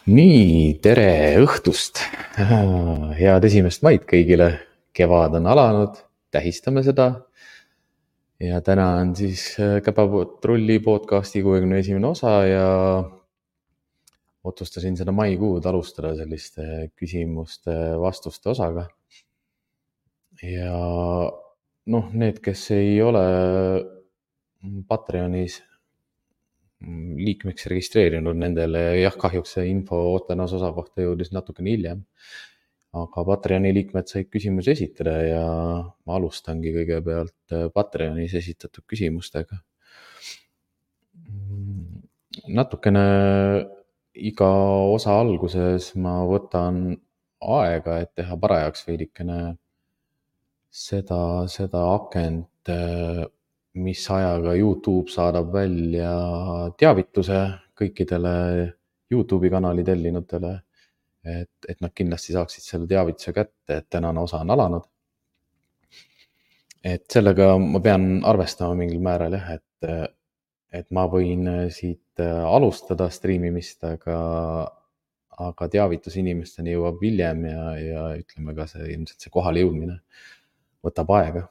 Nii, tere õhtust! Head 1. maid kõigile. Kevad on alanud, tähistame seda. Ja täna on siis Käpatrulli podcasti 61. osa ja otsustasin seda maikuud alustada selliste küsimuste-vastuste osaga. Ja need, kes ei ole Patreonis liikmeks registreerinud, nendele jah, kahjuks see info Ootenas osa kohta jõudis natukene hiljem. Aga Patreoni liikmed said küsimusi esitada ja ma alustangi kõigepealt Patreonis esitatud küsimustega. Natukene iga osa alguses ma võtan aega, et teha parajaks veidikene seda akent, mis ajaga YouTube saadab välja teavituse kõikidele YouTube'i kanali tellinutele, et nad kindlasti saaksid selle teavituse kätte, et tänane osa on alanud. Et sellega ma pean arvestama mingil määral jah, et ma võin siit alustada striimimist, aga teavitus inimesteni jõuab hiljem ja ütleme ka ilmselt see kohale jõudmine võtab aega.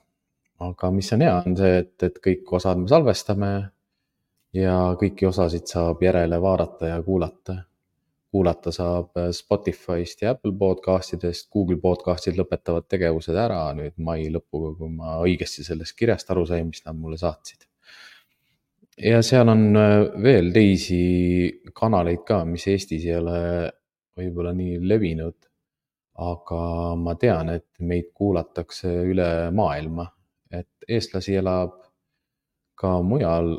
Aga mis on hea, on see, et kõik osad me salvestame ja kõiki osasid saab järele vaadata ja kuulata. Kuulata saab Spotify'st ja Apple podcastidest. Google podcastid lõpetavad tegevused ära nüüd mai lõpuga, kui ma õigesti sellest kirjast aru sain, mis nad mulle saatsid. Ja seal on veel teisi kanaleid ka, mis Eestis ei ole võib-olla nii levinud, aga ma tean, et meid kuulatakse üle maailma. Et eestlasi elab ka mujal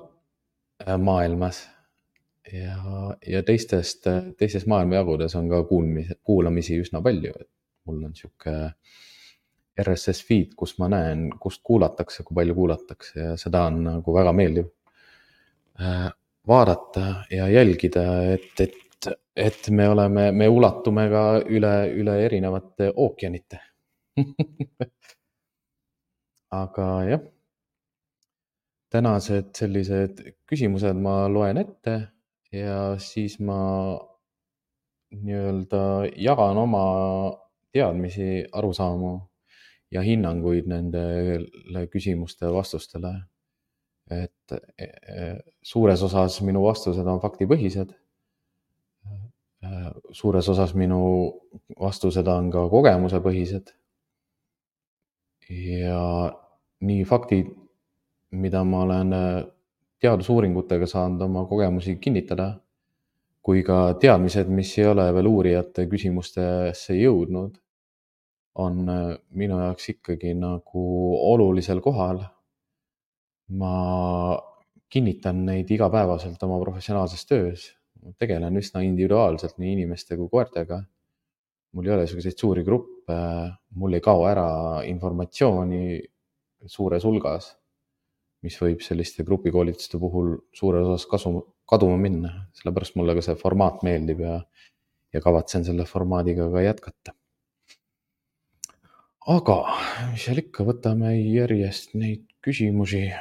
maailmas ja teistes maailmajagudes on ka kuulamisi üsna palju. Et mul on siuke RSS feed, kus ma näen, kust kuulatakse, kui palju kuulatakse ja seda on nagu väga meeldiv vaadata ja jälgida, et me ulatume ka üle erinevate ookeanite. Aga jah, tänased sellised küsimused ma loen ette ja siis ma jagan oma teadmisi, arusaamu ja hinnanguid nendele küsimuste vastustele. Et suures osas minu vastused on faktipõhised. Suures osas minu vastused on ka kogemusepõhised. Ja nii faktid, mida ma olen teadusuuringutega saanud oma kogemusi kinnitada, kui ka teadmised, mis ei ole veel uurijate küsimustesse jõudnud, on minu jaoks ikkagi nagu olulisel kohal. Ma kinnitan neid igapäevaselt oma professionaalses töös. Tegelen üsna individuaalselt nii inimeste kui koertega. Mul ei ole selliseid suuri gruppe, mul ei kao ära informatsiooni suures hulgas, mis võib selliste grupikoolituste puhul suures osas kaduma minna. Sellepärast mulle ka see formaat meeldib ja kavatsen selle formaadiga ka jätkata. Aga mis seal ikka, võtame järjest neid küsimusi.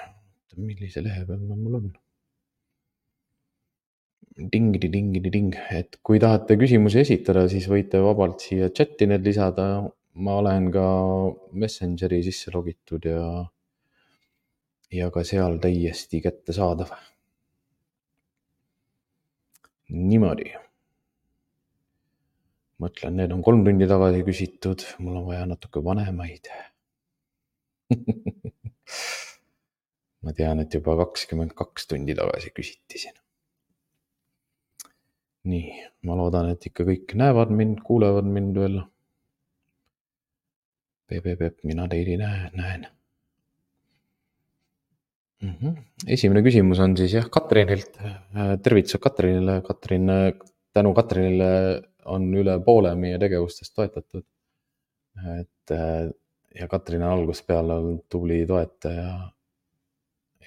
Millise lehe peal mul on? Ding. Et kui tahate küsimusi esitada, siis võite vabalt siia chati need lisada. Ma olen ka Messengeri sisse logitud ja ka seal täiesti kättesaadav. Niimoodi. Mõtlen, need on 3 tundi tagasi küsitud. Mul on vaja natuke vanemaid. Ma tean, et juba 22 tundi tagasi küsiti siin. Nii, ma loodan, et ikka kõik näevad mind, kuulevad mind veel. Mina teid ei näen. Esimene küsimus on siis jah Katrinilt. Tervitused Katrinile. Tänu Katrinile on üle poole meie tegevustest toetatud. Ja Katrin on algusest peale olnud tubli toetaja.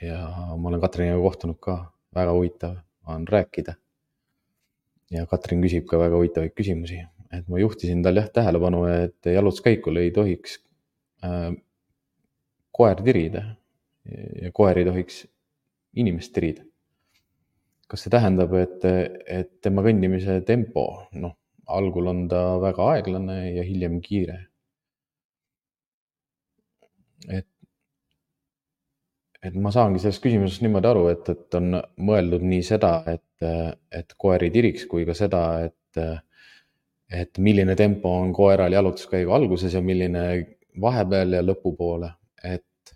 Ja ma olen Katriniga kohtunud ka. Väga huvitav on rääkida. Ja Katrin küsib ka väga huvitavaid küsimusi. Et ma juhtisin tal tähelepanu, et jalutuskäikul ei tohiks koer tirida ja koer ei tohiks inimest tirida. kas see tähendab, et tema kõndimise tempo, noh, algul on ta väga aeglane ja hiljem kiire. Et ma saangi sellest küsimusest niimoodi aru, et on mõeldud nii seda, et koer ei tiriks, kui ka seda, et milline tempo on koeral jalutuskäigu alguses ja milline vahepeal ja lõpupoole. Et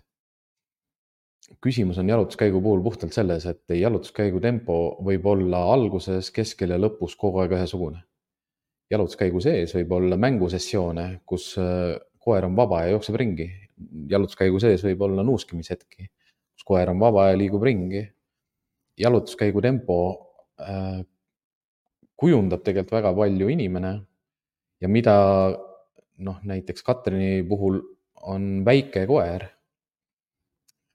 küsimus on jalutuskäigu puhul puhtalt selles, et jalutuskäigu tempo võib olla alguses, keskel ja lõpus kogu aeg ühesugune. Jalutuskäigu sees võib olla mängusessioone, kus koer on vaba ja jookseb ringi. Jalutuskäigu sees võib olla nuuskimishetki, kus koer on vaba ja liigub ringi. Jalutuskäigu tempo kujundab tegelikult väga palju inimene ja mida näiteks Katrini puhul on väike koer,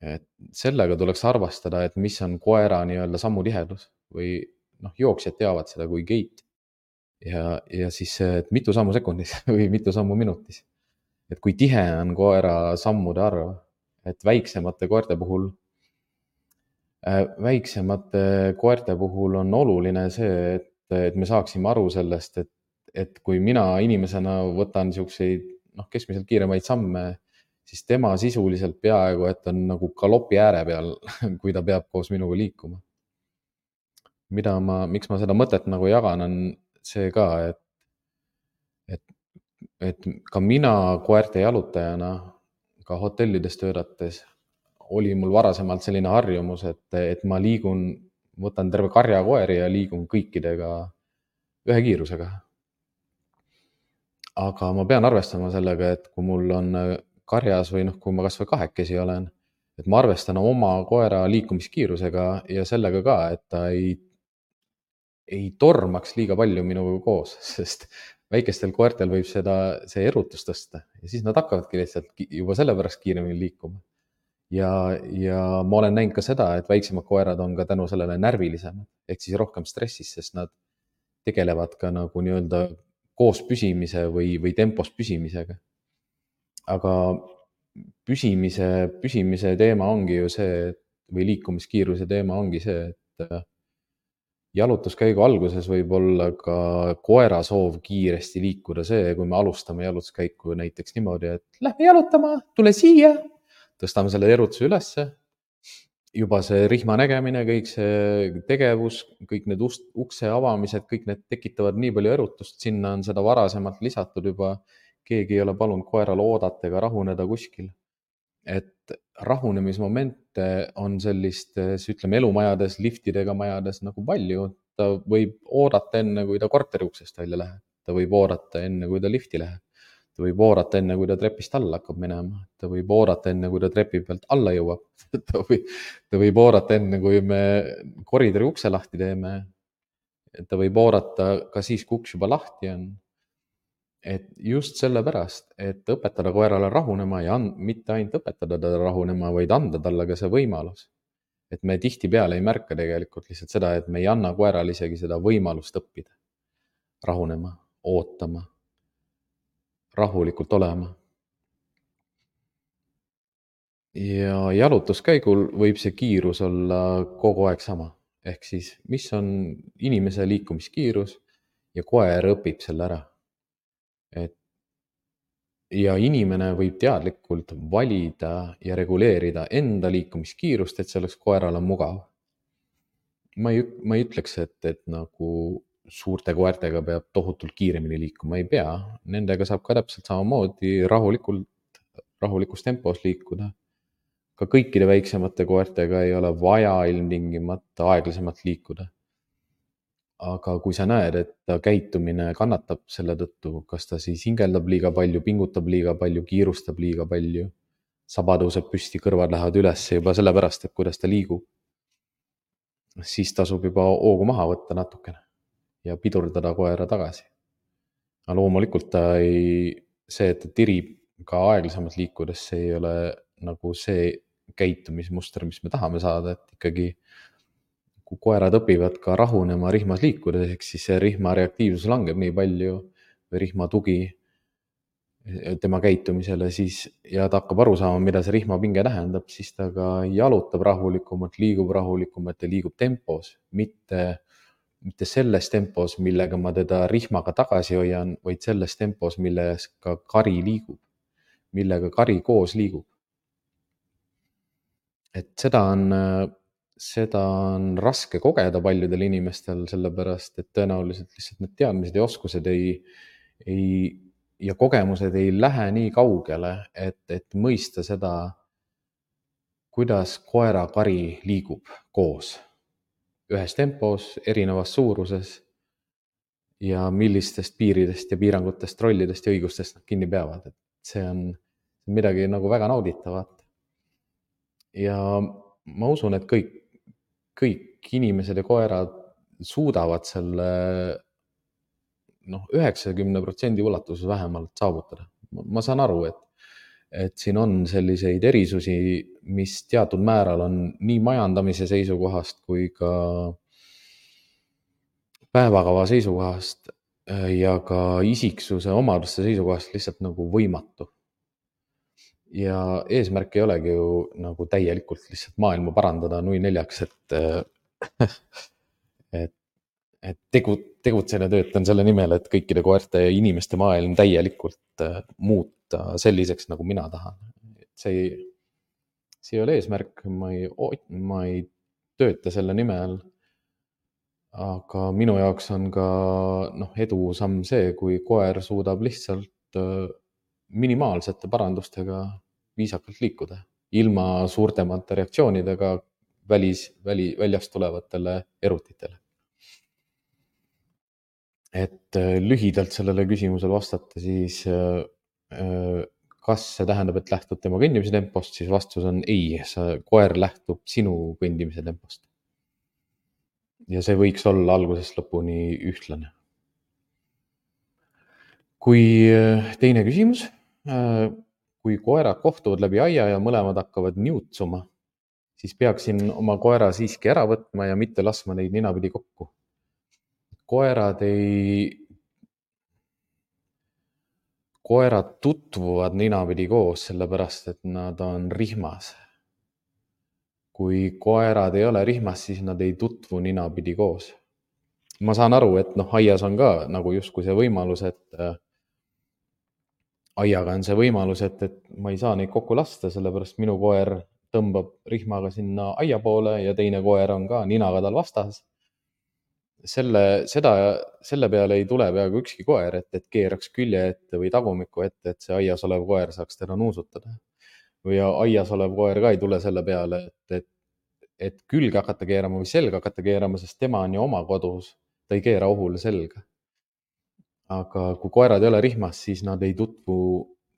et sellega tuleks arvestada, et mis on koera nii-öelda sammutihedus või jooksjad teavad seda kui gait ja siis, et mitu sammu sekundis või mitu sammu minutis. Et kui tihe on koera sammude arv, et väiksemate koerte puhul on oluline see, et me saaksime aru sellest, et kui mina inimesena võtan niisuguseid keskmiselt kiiremaid samme, siis tema sisuliselt peaaegu, et on nagu galopi ääre peal, kui ta peab koos minuga liikuma. Miks ma seda mõtet nagu jagan, on see ka, et ka mina koerte jalutajana, ka hotellides töötates, oli mul varasemalt selline harjumus, et ma võtan terve karja koeri ja liigun kõikidega ühe kiirusega. Aga ma pean arvestama sellega, et kui mul on karjas või kui ma kas või kahekesi olen, et ma arvestan oma koera liikumiskiirusega ja sellega ka, et ta ei tormaks liiga palju minuga koos, sest väikestel koertel võib see erutus tõsta ja siis nad hakkavadki lihtsalt juba sellepärast kiiremini liikuma. Ja ma olen näinud ka seda, et väiksemad koerad on ka tänu sellele närvilisemad, ehk siis rohkem stressis, sest nad tegelevad ka nagu nii-öelda koos püsimise või tempos püsimisega. Aga püsimise teema ongi ju see, või liikumiskiiruse teema ongi see, et jalutuskäigu alguses võib olla ka koera soov kiiresti liikuda see, kui me alustame jalutuskäiku näiteks niimoodi, et lähme jalutama, tule siia, tõstame selle erutuse ülesse, juba see rihma nägemine, kõik see tegevus, kõik need ukse avamised, kõik need tekitavad nii palju erutust, sinna on seda varasemalt lisatud juba, keegi ei ole palunud koeral oodata ega rahuneda kuskil. Et rahunemismomente on sellistes, ütleme, elumajades, liftidega majades nagu palju. Ta võib oodata enne, kui ta korteri uksest välja läheb. Ta võib oodata enne, kui ta lifti läheb. Ta võib oodata enne, kui ta trepist alla hakkab minema. Ta võib oodata enne, kui ta trepi pealt alla jõuab. Ta võib oodata enne, kui me koridori ukse lahti teeme. Ta võib oodata ka siis, kui uks juba lahti on. Et just sellepärast, et õpetada koerale rahunema ja mitte ainult õpetada teda rahunema, vaid anda talle ka see võimalus. Et me tihtipeale ei märka tegelikult lihtsalt seda, et me ei anna koerale isegi seda võimalust õppida. Rahunema, ootama, rahulikult olema. Ja jalutuskäigul võib see kiirus olla kogu aeg sama. Ehk siis, mis on inimese liikumiskiirus ja koer õpib selle ära. Ja inimene võib teadlikult valida ja reguleerida enda liikumiskiirust, et see oleks koerale mugav. Ma ei ütleks, et nagu suurte koertega peab tohutult kiiremini liikuma, ei pea. Nendega saab ka täpselt samamoodi rahulikus tempos liikuda. Ka kõikide väiksemate koertega ei ole vaja ilmtingimata aeglasemalt liikuda. Aga kui sa näed, et ta käitumine kannatab selle tõttu, kas ta siis hingeldab liiga palju, pingutab liiga palju, kiirustab liiga palju, saba tõuseb püsti, kõrvad lähevad üles juba sellepärast, et kuidas ta liigub, siis tasub juba hoogu maha võtta natukene ja pidurdada koera tagasi. Aga loomulikult see, et ta tirib ka aeglasemalt liikudes, see ei ole nagu see käitumismuster, mis me tahame saada, et ikkagi kui koerad õpivad ka rahunema rihmas liikudes, ehk siis see rihma reaktiivsus langeb nii palju või rihma tugi, tema käitumisele, siis, ja ta hakkab aru saama, mida see rihmapinge tähendab, siis ta ka jalutab rahulikumalt, liigub rahulikumalt ja liigub tempos, mitte selles tempos, millega ma teda rihmaga tagasi hoian, vaid selles tempos, milles ka kari liigub, millega kari koos liigub. Et seda on raske kogeda paljudel inimestel, sellepärast et tõenäoliselt lihtsalt need teadmised ja oskused ja kogemused ei lähe nii kaugele, et mõista seda, kuidas koera-kari liigub koos ühes tempos, erinevas suuruses ja millistest piiridest ja piirangutest, rollidest ja õigustest nad kinni peavad. Et see on midagi nagu väga nauditavat. Ja ma usun, et kõik inimesed ja koerad suudavad selle 90% ulatuses vähemalt saavutada. Ma saan aru, et siin on selliseid erisusi, mis teatud määral on nii majandamise seisukohast kui ka päevakava seisukohast ja ka isiksuse omaduste seisukohast lihtsalt nagu võimatu. Ja eesmärk ei olegi ju nagu täielikult lihtsalt maailma parandada nui neljaks, et tegutsen ja töötan selle nimel, et kõikide koerte ja inimeste maailm täielikult muuta selliseks, nagu mina tahan. See ei ole eesmärk, ma ei tööta selle nimel. Aga minu jaoks on ka edusamm see, kui koer suudab lihtsalt minimaalsete parandustega viisakalt liikuda, ilma suurtemate reaktsioonidega väljast tulevatele erutitele. Et lühidalt sellele küsimusele vastata, siis kas see tähendab, et lähtud tema kõndimise tempost, siis vastus on ei, koer lähtub sinu kõndimise tempost. Ja see võiks olla algusest lõpuni ühtlane. Kui teine küsimus, kui koerad kohtuvad läbi aia ja mõlemad hakkavad niutsuma, siis peaksin oma koera siiski ära võtma ja mitte laskma neid ninapidi kokku. Koerad tutvuvad ninapidi koos, sellepärast et nad on rihmas. Kui koerad ei ole rihmas, siis nad ei tutvu ninapidi koos. Ma saan aru, et aias on ka nagu justkui see võimalus, et aiaga on see võimalus, et ma ei saa neid kokku lasta, sellepärast minu koer tõmbab rihmaga sinna aia poole ja teine koer on ka ninaga tal vastas. Selle peale ei tule peaaegu ükski koer, et keeraks külje ette või tagumikku ette, et see aias olev koer saaks teda nuusutada. Või aias olev koer ka ei tule selle peale, et külge hakata keerama või selga hakata keerama, sest tema on ju oma kodus, ta ei keera ohule selga. Aga kui koerad ei ole rihmas, siis nad ei tutvu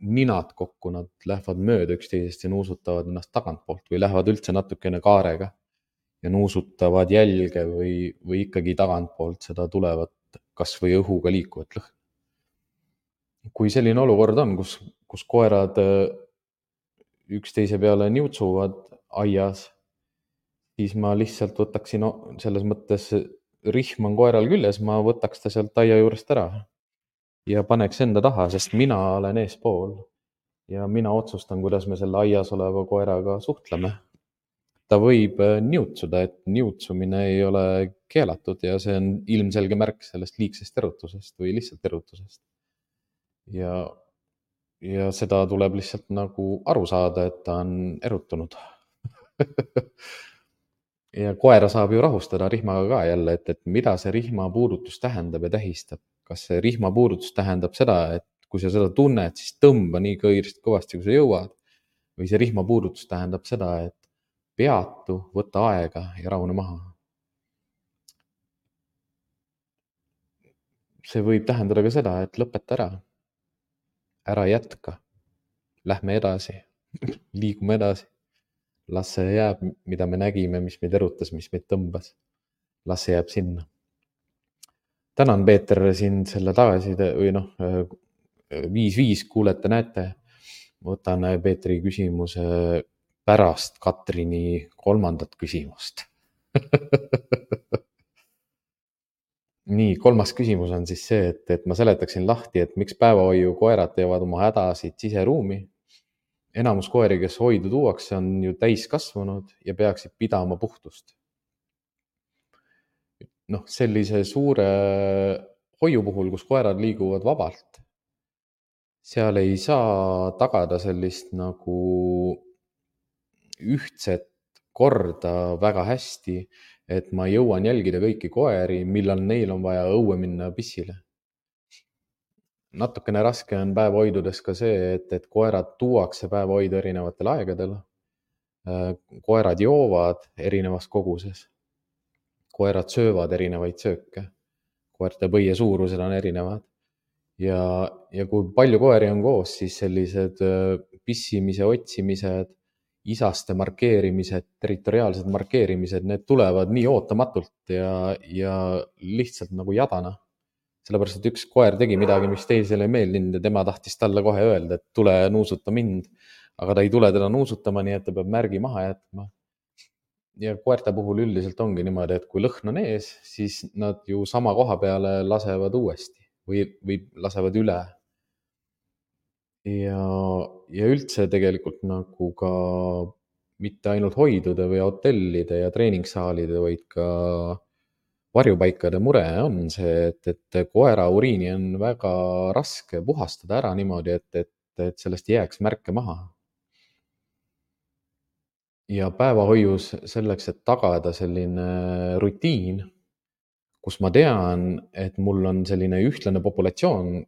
ninad kokku, nad lähevad mööda üksteisest ja nuusutavad ennast tagantpoolt või lähevad üldse natukene kaarega ja nuusutavad jälge või ikkagi tagantpoolt seda tulevat kas või õhuga liikuvat lõhna. Kui selline olukord on, kus koerad üksteise peale niutsuvad aias, siis ma lihtsalt võtaksin selles mõttes, rihm on koeral küljes, ma võtaks ta sealt aia juurest ära ja paneks enda taha, sest mina olen eespool ja mina otsustan, kuidas me selle aias oleva koeraga suhtleme. Ta võib niutsuda, et niutsumine ei ole keelatud ja see on ilmselge märk sellest liigsest erutusest või lihtsalt erutusest. Ja seda tuleb lihtsalt nagu aru saada, et ta on erutunud. Ja koera saab ju rahustada rihmaga ka jälle, et mida see rihmapuudutus tähendab ja tähistab. Kas see rihmapuudutus tähendab seda, et kui sa seda tunned, siis tõmba nii kõvasti, kui sa jõuad. Või see rihmapuudutus tähendab seda, et peatu, võta aega ja rahune maha. See võib tähendada ka seda, et lõpeta ära. Ära jätka. Lähme edasi. Liigume edasi. Las see jääb, mida me nägime, mis meid erutas, mis meid tõmbas. Las see jääb sinna. Tänan, Peeter, sind selle tagasiside või 5-5 kuulete, näete. Võtan Peetri küsimuse pärast Katrini 3. küsimust. nii, kolmas küsimus on siis see, et ma seletaksin lahti, et miks päevahoiukoerad teevad oma hädasid siseruumi. Enamus koeri, kes hoidu tuuakse, on ju täiskasvanud ja peaksid pidama puhtust. Noh, sellise suure hoiu puhul, kus koerad liiguvad vabalt, seal ei saa tagada sellist nagu ühtset korda väga hästi, et ma jõuan jälgida kõiki koeri, millal neil on vaja õue minna pissile. Natukene raske on päevahoidudes ka see, et koerad tuuakse päevahoidu erinevatel aegadel. Koerad joovad erinevas koguses. Koerad söövad erinevaid sööke. Koerte põie suurused on erinevad. Ja kui palju koeri on koos, siis sellised pissimise, otsimised, isaste markeerimised, territoriaalsed markeerimised, need tulevad nii ootamatult ja lihtsalt nagu jadana. Sellepärast, et üks koer tegi midagi, mis teisele ei meeldinud ja tema tahtis talle kohe öelda, et tule nuusuta mind. Aga ta ei tule teda nuusutama, nii et ta peab märgi maha jätma. Ja koerte puhul üldiselt ongi niimoodi, et kui lõhn on ees, siis nad ju sama koha peale lasevad uuesti või lasevad üle. Ja üldse tegelikult nagu ka mitte ainult hoidude või hotellide ja treeningsaalide, vaid ka varjupaikade mure on see, et koera uriini on väga raske puhastada ära niimoodi, et sellest ei jääks märke maha. Ja päevahoius selleks, et tagada selline rutiin, kus ma tean, et mul on selline ühtlane populatsioon,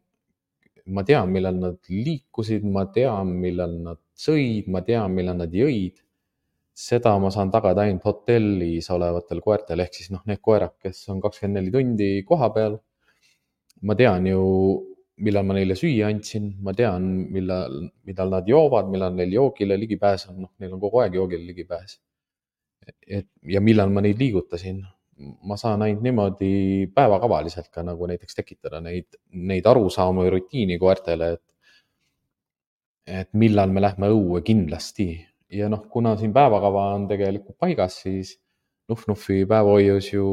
ma tean, millal nad liikusid, ma tean, millal nad sõid, ma tean, millal nad jõid. Seda ma saan tagada ainult hotellis olevatel koertel, ehk siis need koerad, kes on 24 tundi koha peal. Ma tean ju, millal ma neile süüa andsin, ma tean, millal nad joovad, millal neil joogile ligipääs on, neil on kogu aeg joogile ligipääs. Ja millal ma neid liigutasin. Ma saan ainult niimoodi päevakavaliselt ka nagu näiteks tekitada neid arusaamu ja rutiini koertele, et millal me lähme õue kindlasti. Ja kuna siin päevakava on tegelikult paigas, siis Nuf-Nufi päevahoius ju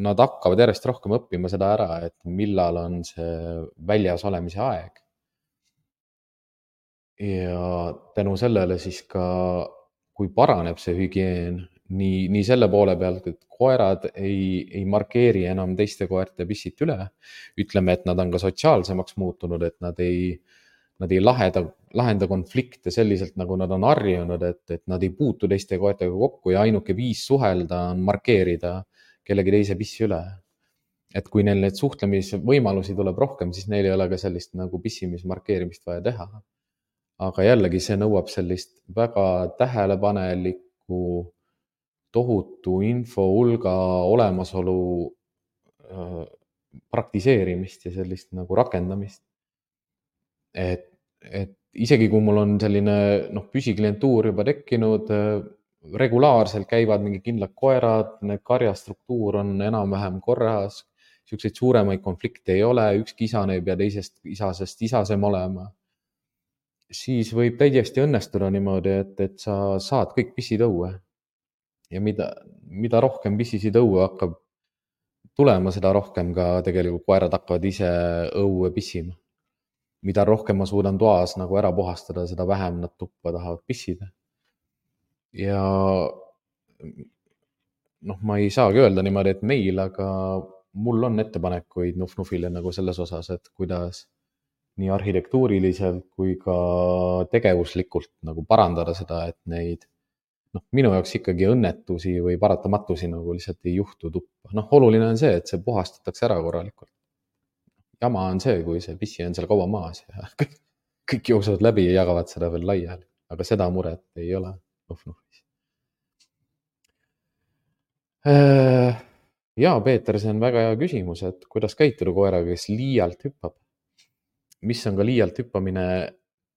nad hakkavad järjest rohkem õppima seda ära, et millal on see väljas olemise aeg. Ja tänu sellele siis ka, kui paraneb see hügieen, nii selle poole pealt, et koerad ei markeeri enam teiste koerte pissit üle. Ütleme, et nad on ka sotsiaalsemaks muutunud, et nad ei lahenda konflikte selliselt, nagu nad on harjunud, et nad ei puutu teiste koertega kokku ja ainuke viis suhelda on markeerida kellegi teise pissi üle. Et kui neil neid suhtlemisvõimalusi tuleb rohkem, siis neil ei ole ka sellist nagu pissimismarkeerimist vaja teha. Aga jällegi see nõuab sellist väga tähelepanelikku, tohutu info hulga olemasolu praktiseerimist ja sellist nagu rakendamist. Et isegi kui mul on selline püsiklientuur juba tekkinud, regulaarselt käivad mingi kindlad koerad, need karjastruktuur on enam-vähem korras, siukseid suuremaid konflikte ei ole, ükski isane ei pea teisest isasest isasem olema, siis võib täiesti õnnestuda niimoodi, et sa saad kõik pissid õue. Ja mida rohkem pissisid õue hakkab tulema, seda rohkem ka tegelikult koerad hakkavad ise õue pissima. Mida rohkem ma suudan toas nagu ära puhastada, seda vähem nad tuppa tahavad pissida. Ja ma ei saagi öelda niimoodi, et meil, aga mul on ettepanekuid Nuf-Nufile nagu selles osas, et kuidas nii arhitektuuriliselt kui ka tegevuslikult nagu parandada seda, et neid minu jaoks ikkagi õnnetusi või paratamatusi nagu lihtsalt ei juhtu tuppa. Oluline on see, et see puhastatakse ära korralikult. Jama on see, kui see pissi on seal kaua maas ja kõik jooksevad läbi ja jagavad seda veel laiali, aga seda muret ei ole Nuf-Nufis. Jaa, Peeter, see on väga hea küsimus, et kuidas käituda koeraga, kes liialt hüppab. Mis on ka liialt hüppamine,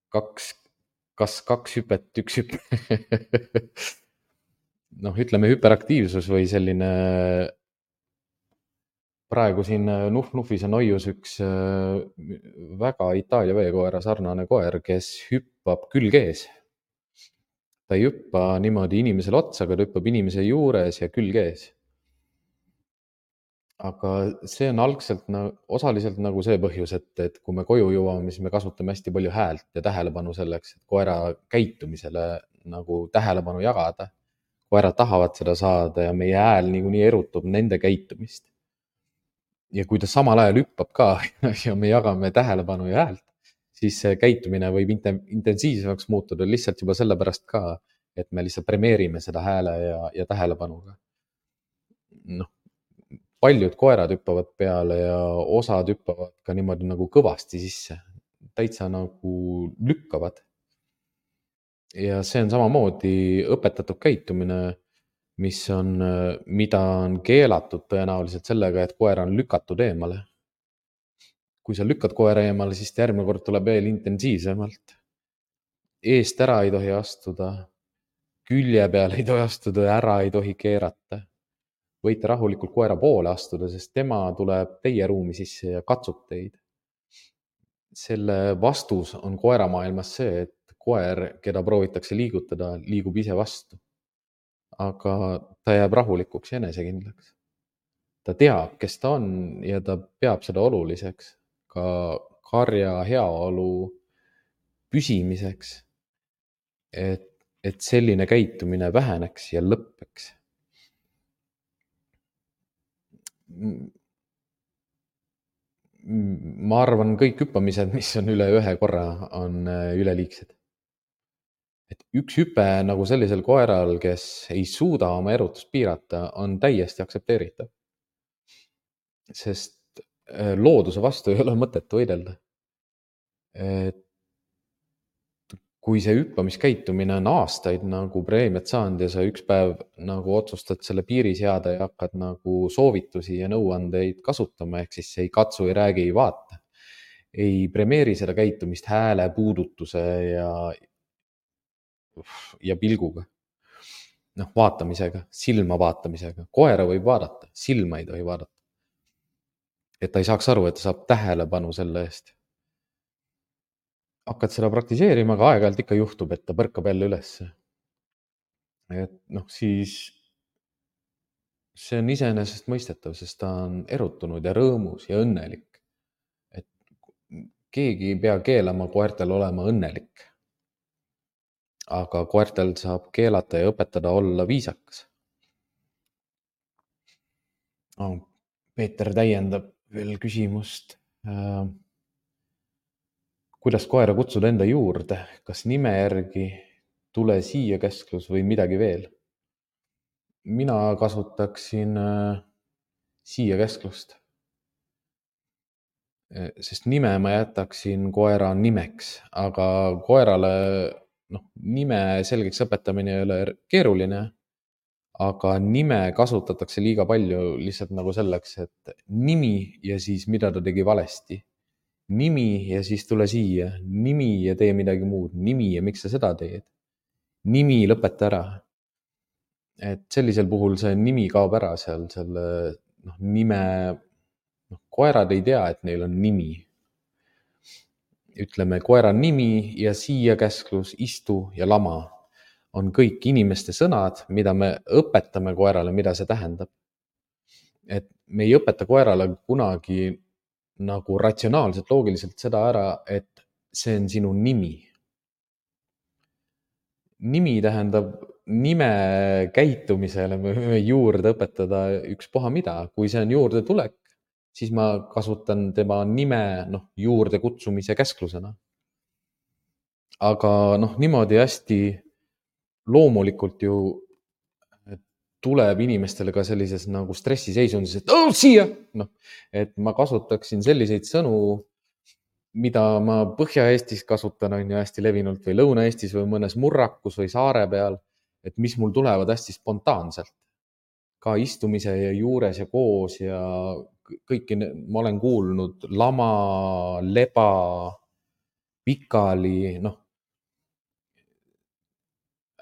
kas 2 hüpet, 1 hüpe? Ütleme hüperaktiivsus või selline, praegu siin Nuf-Nufis on hoius üks väga Itaalia veekoera sarnane koer, kes hüppab külg ees. Ta ei hüppa niimoodi inimesele otsa, aga ta hüppab inimese juures ja külg ees. aga see on algselt osaliselt nagu see põhjus, et kui me koju jõuame, siis me kasutame hästi palju häält ja tähelepanu selleks, et koera käitumisele nagu tähelepanu jagada. Koerad tahavad seda saada ja meie hääl niikuinii erutab nende käitumist. Ja kui ta samal ajal hüppab ka ja me jagame tähelepanu ja häält, siis see käitumine võib intensiivsemaks muutuda lihtsalt juba sellepärast ka, et me lihtsalt premeerime seda hääle ja tähelepanuga. Noh, paljud koerad hüppavad peale ja osad hüppavad ka niimoodi nagu kõvasti sisse, täitsa nagu lükkavad. Ja see on samamoodi õpetatud käitumine, mida on keelatud tõenäoliselt sellega, et koer on lükatud eemale. Kui sa lükkad koera eemale, siis ta järgmine kord tuleb veel intensiivsemalt. Eest ära ei tohi astuda, külje peale ei tohi astuda, ära ei tohi keerata. Võite rahulikult koera poole astuda, sest tema tuleb teie ruumi sisse ja katsub teid. Selle vastus on koeramaailmas see, et koer, keda proovitakse liigutada, liigub ise vastu. Aga ta jääb rahulikuks ja enesekindlaks. Ta teab, kes ta on ja ta peab seda oluliseks ka karja heaolu püsimiseks, et selline käitumine väheneks ja lõppeks. Ma arvan, kõik hüppamised, mis on üle ühe korra, on üleliigsed. Et üks hüpe nagu sellisel koeral, kes ei suuda oma erutust piirata, on täiesti aktsepteeritav. Sest looduse vastu ei ole mõtet võidelda. Kui see hüppamiskäitumine on aastaid nagu preemiat saanud ja sa üks päev nagu otsustad selle piiri seada ja hakkad nagu soovitusi ja nõuandeid kasutama, ehk siis ei katsu, ei räägi, ei vaata, ei premeeri seda käitumist hääle, puudutuse ja pilguga. Vaatamisega, silma vaatamisega. Koera võib vaadata, silma ei tohi vaadata. Et ta ei saaks aru, et ta saab tähelepanu selle eest. Hakkad seda praktiseerima, aga aeg-ajalt ikka juhtub, et ta põrkab jälle ülesse. Et siis see on iseenesest mõistetav, sest ta on erutunud ja rõõmus ja õnnelik. Et keegi ei pea keelama koertel olema õnnelik. Aga koertel saab keelata ja õpetada olla viisakas. Peeter täiendab veel küsimust. Kuidas koera kutsuda enda juurde? Kas nime järgi, tule siia käsklus või midagi veel? Mina kasutaksin siia käsklust. Sest nime ma jätaksin koera nimeks, aga koerale nime selgeks õpetamine ei ole keeruline, aga nime kasutatakse liiga palju lihtsalt nagu selleks, et nimi ja siis mida ta tegi valesti. Nimi ja siis tule siia, nimi ja tee midagi muud, nimi ja miks sa seda teed. Nimi lõpeta ära. Et sellisel puhul see nimi kaob ära seal selle nime. Koerad ei tea, et neil on nimi. Ütleme, koera nimi ja siia käsklus, istu ja lama on kõik inimeste sõnad, mida me õpetame koerale, mida see tähendab. Et me ei õpeta koerale kunagi nagu ratsionaalselt, loogiliselt seda ära, et see on sinu nimi. Nimi tähendab nime käitumisele me võime juurde õpetada ükspuha mida. Kui see on juurde tulek, siis ma kasutan tema nime juurde kutsumise käsklusena. Aga niimoodi hästi loomulikult ju tuleb inimestele ka sellises nagu stressiseisundis, et siia! Et ma kasutaksin selliseid sõnu, mida ma Põhja-Eestis kasutan, on ju hästi levinult või Lõuna-Eestis või mõnes murrakus või saare peal, et mis mul tulevad hästi spontaanselt. Ka istumise ja juures ja koos ja kõiki ma olen kuulnud lama, leba, pikali,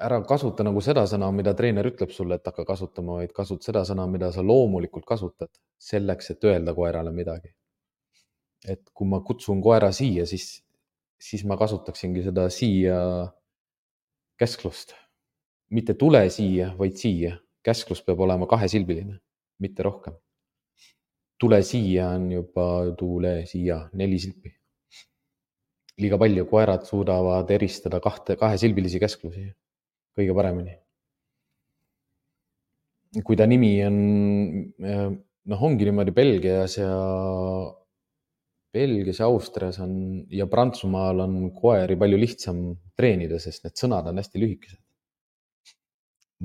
ära kasuta nagu seda sõna, mida treener ütleb sulle, et hakka kasutama, vaid kasut seda sõna, mida sa loomulikult kasutad selleks, et öelda koerale midagi. Et kui ma kutsun koera siia, siis ma kasutaksingi seda siia käsklust. Mitte tule siia, vaid siia. Käsklus peab olema kahesilbiline, mitte rohkem. tule siia on juba tule siia 4 silpi. Liiga palju, koerad suudavad eristada kahesilbilisi käsklusi kõige paremini. Kui ta nimi on, ongi niimoodi Belgias ja Austrias on ja Prantsusmaal on koeri palju lihtsam treenida, sest need sõnad on hästi lühikesed.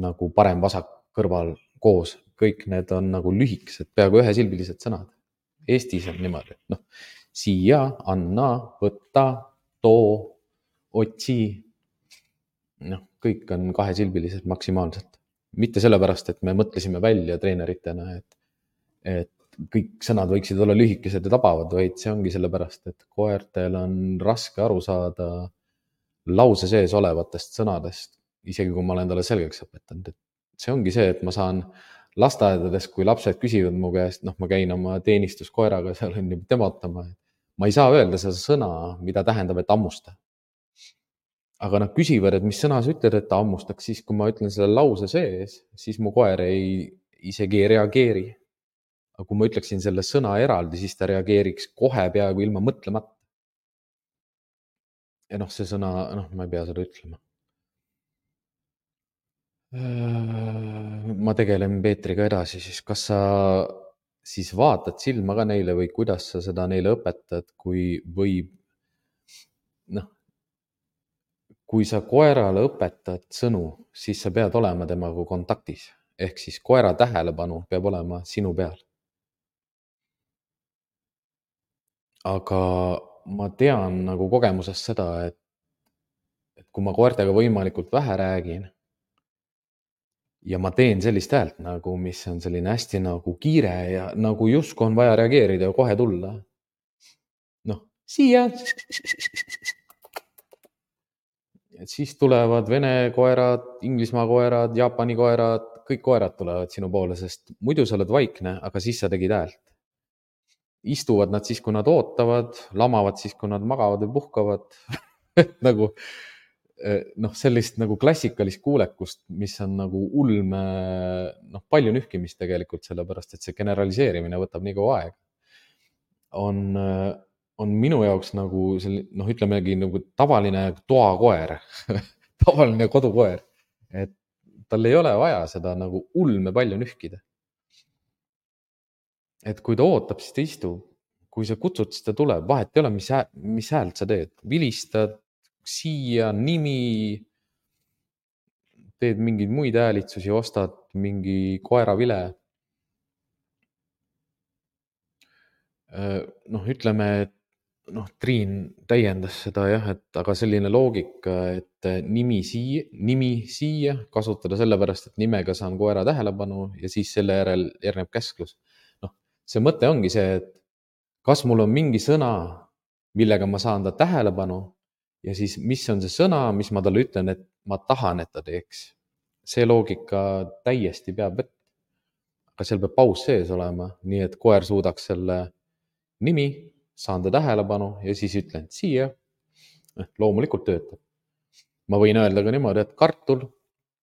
Nagu parem, vasak, kõrval, koos, kõik need on nagu lühikesed, peaaegu ühesilbilised sõnad. Eestis on niimoodi, siia, anna, võtta, too, otsi. Kõik on kahesilbilised maksimaalselt. Mitte sellepärast, et me mõtlesime välja treeneritena, et kõik sõnad võiksid olla lühikesed ja tabavad, vaid see ongi sellepärast, et koertel on raske aru saada lause sees olevatest sõnadest, isegi kui ma olen talle selgeks õpetanud. Et see ongi see, et ma saan lasteaedades, kui lapsed küsivad mu käest, ma käin oma teenistuskoeraga, seal on juba temotama. Ma ei saa öelda seda sõna, mida tähendab, et ammusta. Aga nad küsivad, et mis sõna sa ütled, et ta ammustaks, siis kui ma ütlen selle lause sees, siis mu koer isegi ei reageeri. Aga kui ma ütleksin selle sõna eraldi, siis ta reageeriks kohe peaaegu ilma mõtlemata. Ja see sõna, ma ei pea seda ütlema. Ma tegelen Peetriga edasi, siis kas sa siis vaatad silma ka neile või kuidas sa seda neile õpetad, kui sa koerale õpetad sõnu, siis sa pead olema temaga kontaktis. Ehk siis koera tähelepanu peab olema sinu peal. Aga ma tean nagu kogemusest seda, et kui ma koertega võimalikult vähe räägin ja ma teen sellist häält nagu, mis on selline hästi nagu kiire ja nagu justkui on vaja reageerida ja kohe tulla. Siia. Et siis tulevad Vene koerad, Inglismaa koerad, Jaapani koerad, kõik koerad tulevad sinu poole, sest muidu sa oled vaikne, aga siis sa tegid häält. Istuvad nad siis, kui nad ootavad, lamavad siis, kui nad magavad või puhkavad. Nagu sellist nagu klassikalist kuulekust, mis on nagu ulme, palju nühkimist tegelikult, sellepärast, et see generaliseerimine võtab nii kaua aega. On minu jaoks nagu ütlemegi nagu tavaline toakoer, tavaline kodukoer, et tal ei ole vaja seda nagu ulme palju nühkida. Et kui ta ootab, siis ta istub. Kui sa kutsud, siis ta tuleb. Vahet ei ole, mis häält sa teed. Vilistad, siia, nimi, teed mingeid muid häälitsusi, ostad mingi koeravile. Ütleme, et Triin täiendas seda jah, aga selline loogika, et nimi siia kasutada sellepärast, et nimega saan koera tähelepanu ja siis selle järel järgneb käsklus. See mõte ongi see, et kas mul on mingi sõna, millega ma saan ta tähelepanu ja siis mis on see sõna, mis ma talle ütlen, et ma tahan, et ta teeks. See loogika täiesti peab vett. Aga seal peab paus sees olema, nii et koer suudaks selle nimi, saan ta tähelepanu ja siis ütlen siia. Loomulikult töötab. Ma võin öelda ka niimoodi, et kartul,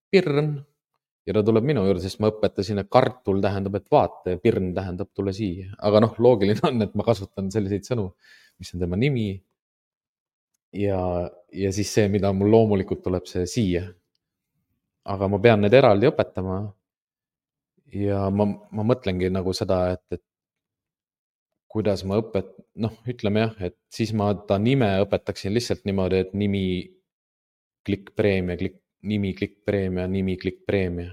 pirn ja ta tuleb minu juurde, sest ma õpetasin, et kartul tähendab, et vaata ja pirn tähendab tule siia. Aga loogiline on, et ma kasutan selliseid sõnu, mis on tema nimi ja siis see, mida mul loomulikult tuleb see siia. Aga ma pean need eraldi õpetama ja ma mõtlengi nagu seda, et kuidas ma ütleme jah, et siis ma ta nime õpetaksin lihtsalt niimoodi, et nimi, klikk preemia, nimi, klikk preemia, nimi, klikk preemia.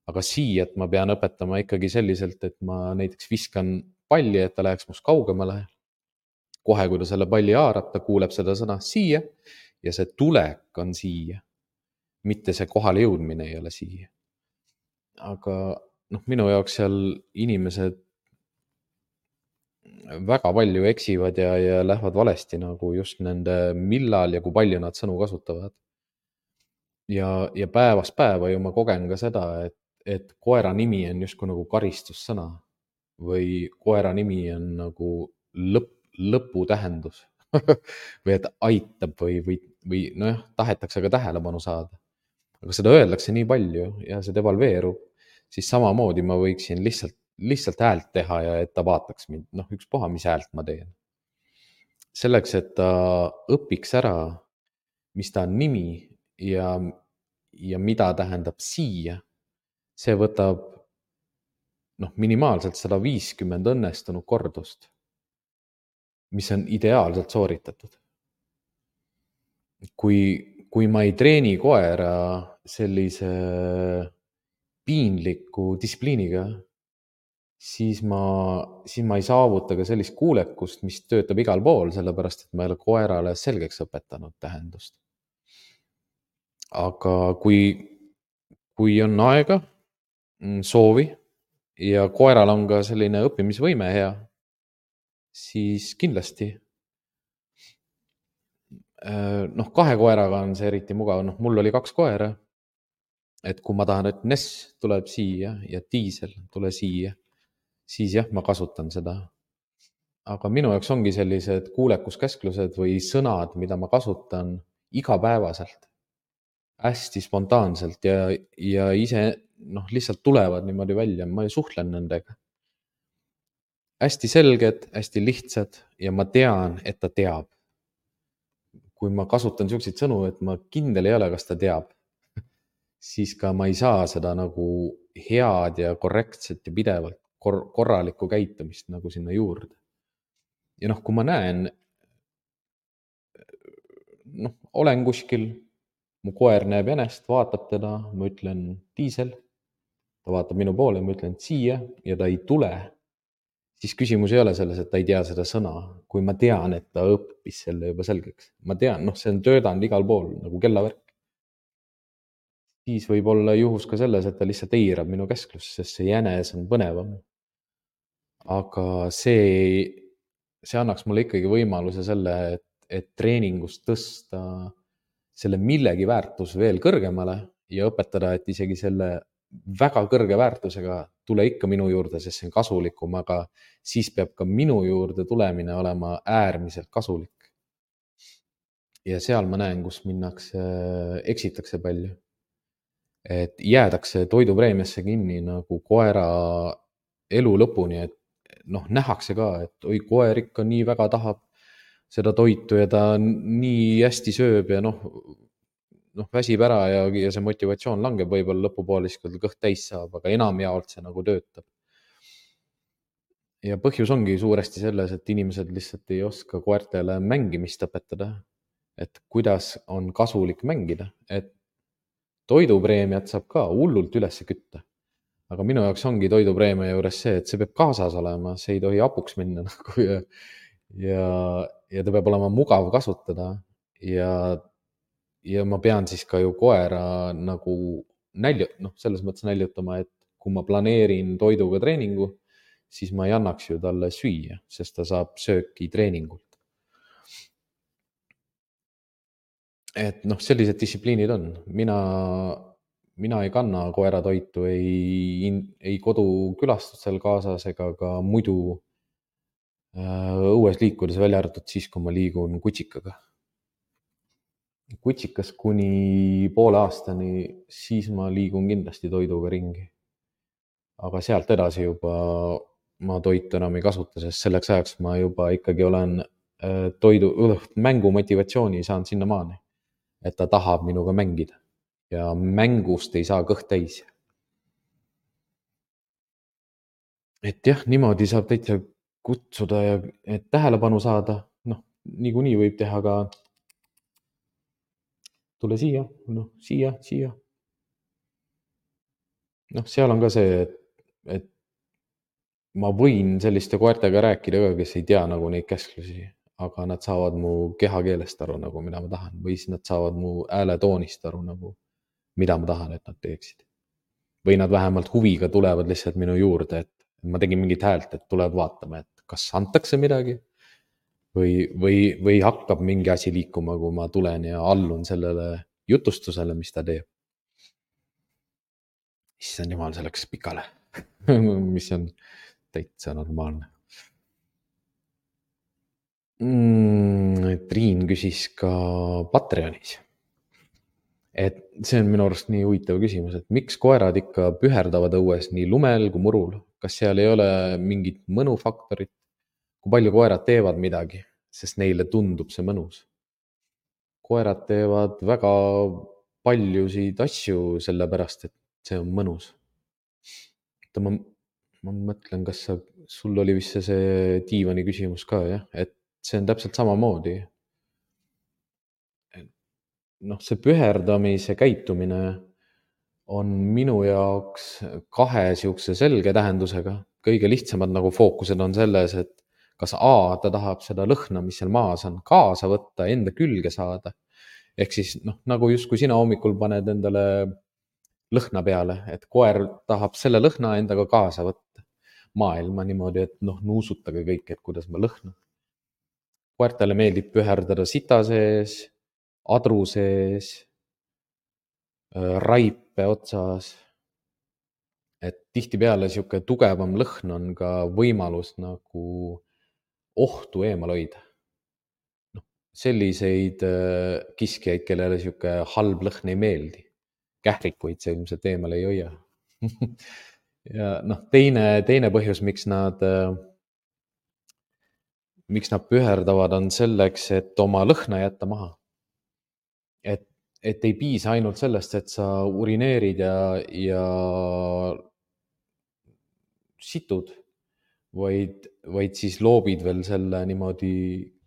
Aga siiat ma pean õpetama ikkagi selliselt, et ma näiteks viskan palli, et ta läheks must kaugemale. Kohe, kui ta selle palli haarab, ta kuuleb seda sõna siia ja see tulek on siia. Mitte see kohale jõudmine ei ole siia. Aga minu jaoks seal inimesed väga palju eksivad ja lähevad valesti nagu just nende millal ja kui palju nad sõnu kasutavad. Ja päevast päeva ju ma kogen ka seda, et koera nimi on justkui nagu karistussõna või koera nimi on nagu lõpu tähendus või et aitab või tahetakse ka tähelepanu saada. Aga seda öeldakse nii palju ja see devalveerub, siis samamoodi ma võiksin lihtsalt lihtsalt häält teha ja et ta vaataks mind, noh, ükspuha, mis häält ma teen. Selleks, et ta õpiks ära, mis ta on nimi ja mida tähendab siia, see võtab minimaalselt 150 õnnestunud kordust, mis on ideaalselt sooritatud. Kui ma ei treeni koera sellise piinliku distsipliiniga, siis ma ei saavuta ka sellist kuulekust, mis töötab igal pool, sellepärast et ma ei ole koerale selgeks õpetanud tähendust. Aga kui on aega, soovi ja koeral on ka selline õppimisvõime hea, siis kindlasti. Kahe koeraga on see eriti mugav, mul oli 2 koera, et kui ma tahan, et Ness tuleb siia ja Diesel tule siia, siis jah, ma kasutan seda. Aga minu jaoks ongi sellised kuulekuskäsklused või sõnad, mida ma kasutan igapäevaselt, hästi spontaanselt ja ise lihtsalt tulevad niimoodi välja, ma suhtlen nendega. Hästi selged, hästi lihtsad ja ma tean, et ta teab. Kui ma kasutan selliseid sõnu, et ma kindel ei ole, kas ta teab, siis ka ma ei saa seda nagu head ja korrektset ja pidevalt korralikku käitumist nagu sinna juurde. Ja kui ma näen, olen kuskil, mu koer näeb jänest, vaatab teda, ma ütlen Diesel, ta vaatab minu poole, ma ütlen siia ja ta ei tule, siis küsimus ei ole selles, et ta ei tea seda sõna. Kui ma tean, et ta õppis selle juba selgeks, ma tean, see on töödanud igal pool nagu kellavärk. Siis võib olla juhus ka selles, et ta lihtsalt eirab minu käsklust, sest see jänes on põnevam. Aga see annaks mulle ikkagi võimaluse selle, et treeningust tõsta selle millegi väärtus veel kõrgemale ja õpetada, et isegi selle väga kõrge väärtusega tule ikka minu juurde, sest see on kasulikum, aga siis peab ka minu juurde tulemine olema äärmiselt kasulik. Ja seal ma näen, kus eksitakse palju. Et jäädakse toidupreemiasse kinni nagu koera elu lõpuni, et nähakse ka, et oi, koer ikka nii väga tahab seda toitu ja ta nii hästi sööb ja väsib ära ja see motivatsioon langeb võib-olla lõpupoole, siis kui ta kõht täis saab, aga enamjaolt see nagu töötab. Ja põhjus ongi suuresti selles, et inimesed lihtsalt ei oska koertele mängimist õpetada, et kuidas on kasulik mängida, et toidupreemiat saab ka hullult üles kütta. Aga minu jaoks ongi toidupreemia juures see, et see peab kaasas olema, see ei tohi hapuks minna ja ta peab olema mugav kasutada ja ma pean siis ka ju koera nagu selles mõttes näljutama, et kui ma planeerin toiduga treeningu, siis ma ei annaks ju talle süüa, sest ta saab sööki treeningult. Et sellised distsipliinid on. Mina ei kanna koeratoitu ei kodukülastusel kaasas ega ka muidu õues liikudes, välja arvatud siis, kui ma liigun kutsikaga. Kutsikas kuni poole aastani, siis ma liigun kindlasti toiduga ringi. Aga sealt edasi juba ma toitu enam ei kasuta, sest selleks ajaks ma juba ikkagi olen mängu motivatsiooni saanud sinnamaani, et ta tahab minuga mängida ja mängust ei saa kõht täis. Et jah, niimoodi saab täitsa kutsuda ja et tähelepanu saada, niikuinii võib teha ka tule siia, siia. Seal on ka see, et ma võin selliste koertega rääkida ka, kes ei tea nagu neid käsklusi, aga nad saavad mu kehakeelest aru nagu, mida ma tahan, või siis nad saavad mu hääletoonist aru nagu, mida ma tahan, et nad teeksid. Või nad vähemalt huviga tulevad lihtsalt minu juurde, et ma tegin mingit häält, et tulevad vaatama, et kas antakse midagi või hakkab mingi asi liikuma, kui ma tulen ja allun sellele jutustusele, mis ta teeb. Issand jumal, see läks pikale, mis on täitsa normaalne. Triin küsis ka Patreonis. Et see on minu arust nii huvitav küsimus, et miks koerad ikka püherdavad õues nii lumel kui murul, kas seal ei ole mingit mõnufaktorit, kui palju koerad teevad midagi, sest neile tundub see mõnus. Koerad teevad väga paljusid asju sellepärast, et see on mõnus. Ma mõtlen, sul oli vist see diivani küsimus ka, jah, et see on täpselt samamoodi. Noh, see püherdamise käitumine on minu jaoks kahe siukse selge tähendusega. Kõige lihtsamad nagu fookused on selles, et kas A, ta tahab seda lõhna, mis seal maas on, kaasa võtta, enda külge saada. Ehk siis nagu just kui sina hommikul paned endale lõhna peale, et koer tahab selle lõhna endaga kaasa võtta maailma niimoodi, et nuusutage kõik, et kuidas ma lõhnan. Koertele meeldib püherdada sita sees, adru sees, raipe otsas. Et tihtipeale siuke tugevam lõhn on ka võimalus nagu ohtu eemal hoida. Selliseid kiskjaid, kellele siuke halb lõhn ei meeldi. Kährikuid see ilmselt eemal ei hoia. Ja teine põhjus, miks nad püherdavad, on selleks, et oma lõhna jätta maha. Et ei piisa ainult sellest, et sa urineerid ja situd, vaid siis loobid veel selle niimoodi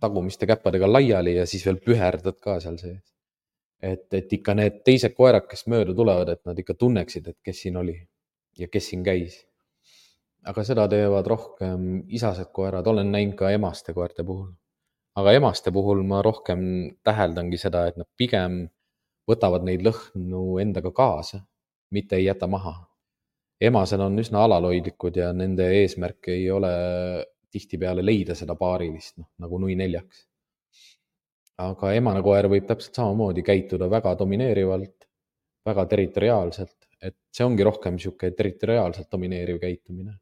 tagumiste käppadega laiali ja siis veel püherdad ka seal sees. Et ikka need teised koerad, kes mööda tulevad, et nad ikka tunneksid, et kes siin oli ja kes siin käis. Aga seda teevad rohkem isased koerad, olen näinud ka emaste koerte puhul. Aga emaste puhul ma rohkem täheldangi seda, et nad pigem võtavad neid lõhnu endaga kaasa, mitte ei jäta maha. Emased on üsna alalhoidlikud ja nende eesmärk ei ole tihtipeale leida seda paarilist, nagu nui neljaks. Aga emane koer võib täpselt samamoodi käituda väga domineerivalt, väga territoriaalselt, et see ongi rohkem siuke territoriaalselt domineeriv käitumine.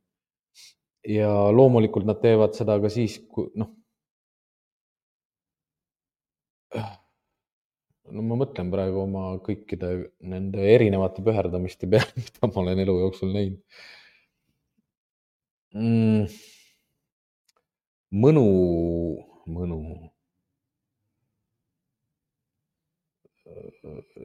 Ja loomulikult nad teevad seda ka siis, kui ma mõtlen praegu oma kõikide nende erinevate püherdamiste peale, mida ma olen elu jooksul näinud. Mõnu.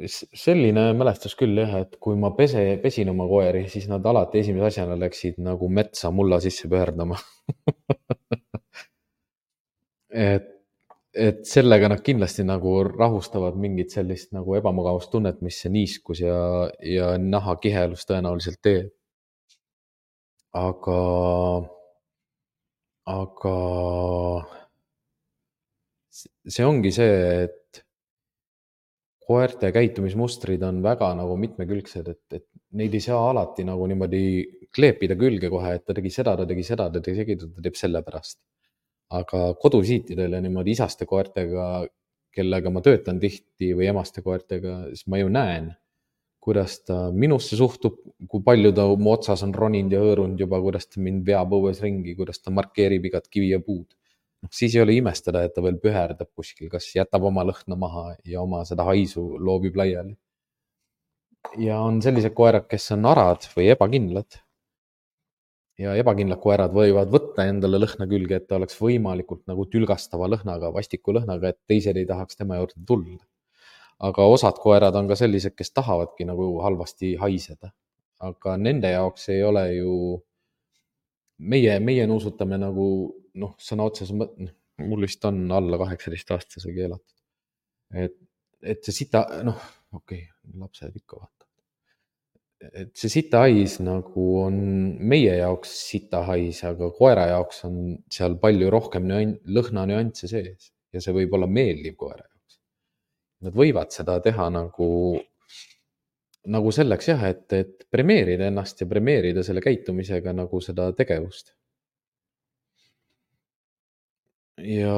Selline mälestus küll jah, et kui ma pesin oma koeri, siis nad alati esimese asjana läksid nagu metsa mulla sisse püherdama. et sellega nad kindlasti nagu rahustavad mingit sellist nagu ebamugavustunnet, mis see niiskus ja nahakihelus tõenäoliselt teeb. Aga see ongi see, et koerte käitumismustrid on väga nagu mitmekülgsed, et neid ei saa alati nagu niimoodi kleepida külge kohe, et ta tegi seda, ta teeb selle pärast. Aga kodusiitidel ja niimoodi isaste koertega, kellega ma töötan tihti või emaste koertega, siis ma ju näen, kuidas ta minusse suhtub, kui palju ta mu otsas on roninud ja hõõrunud juba, kuidas ta mind veab õues ringi, kuidas ta markeerib igat kivi ja puud. Siis ei ole imestada, et ta veel püherdab kuskil, kas jätab oma lõhna maha ja oma seda haisu loobib laiali. Ja on sellised koerad, kes on arad või ebakindlad. Ja ebakindlad koerad võivad võtta endale lõhna külge, et ta oleks võimalikult nagu tülgastava lõhnaga, vastiku lõhnaga, et teised ei tahaks tema juurde tulla. Aga osad koerad on ka sellised, kes tahavadki nagu halvasti haiseda. Aga nende jaoks ei ole ju meie nuusutame nagu sõna otseses mõttes, mul vist on alla 18-aastase keelatud. Et see sita, okei, lapsed ikka vaatavad. Et see sita hais nagu on meie jaoks sita hais, aga koera jaoks on seal palju rohkem lõhna nüansse sees ja see võib olla meeldiv koera jaoks. Nad võivad seda teha nagu selleks jah, et premeerida ennast ja premeerida selle käitumisega nagu seda tegevust. Ja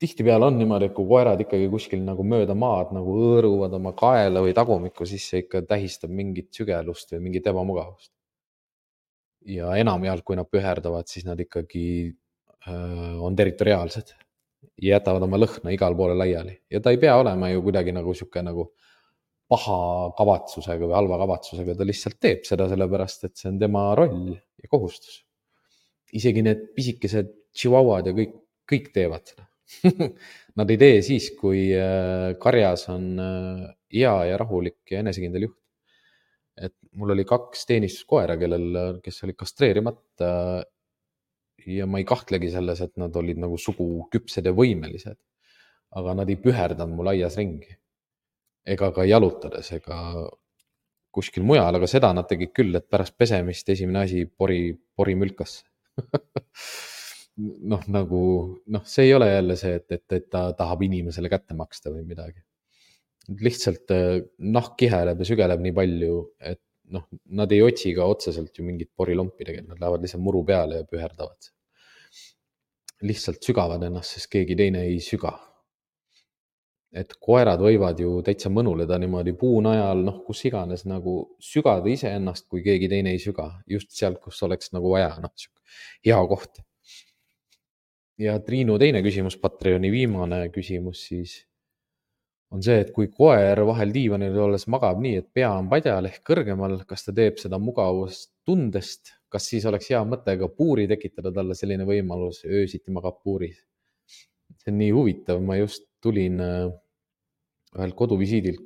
tihtipeale on niimoodi, et kui koerad ikkagi kuskil nagu mööda maad nagu hõõruvad oma kaela või tagumikku, siis see ikka tähistab mingit sügelust või mingit ebamugavust. Ja enamjaolt, kui nad püherdavad, siis nad ikkagi on territoriaalsed ja jätavad oma lõhna igal poole laiali. Ja ta ei pea olema ju kuidagi nagu siuke nagu paha kavatsusega või halva kavatsusega, ta lihtsalt teeb seda sellepärast, et see on tema roll ja kohustus. Isegi need pisikesed tšivauad ja kõik teevad seda. Nad ei tee siis, kui karjas on hea ja rahulik ja enesekindel juht. Et mul oli 2 teenistuskoera, kes olid kastreerimata ja ma ei kahtlegi selles, et nad olid nagu suguküpsed ja võimelised. Aga nad ei püherdanud mul aias ringi. Ega ka jalutades, ega kuskil mujal, aga seda nad tegid küll, et pärast pesemist esimene asi pori mülkasse. See ei ole jälle see, et ta tahab inimesele kätte maksta või midagi. Lihtsalt nahk kiheleb ja sügeleb nii palju, et nad ei otsi ka otseselt ju mingit porilompi tegelikult, nad lähevad lihtsalt muru peale ja püherdavad. Lihtsalt sügavad ennast, sest keegi teine ei süga. Et koerad võivad ju täitsa mõnuleda niimoodi puunajal, kus iganes nagu sügada iseennast, kui keegi teine ei süga. Just sealt, kus oleks nagu vaja, hea koht. Ja Triinu teine küsimus, Patreoni viimane küsimus siis on see, et kui koer vahel diivanil olles magab nii, et pea on padjal ehk kõrgemal, kas ta teeb seda mugavustundest, kas siis oleks hea mõte ka puuri tekitada talle selline võimalus, öösiti magab puuris. See on nii huvitav, ma just tulin ühel koduvisiidilt,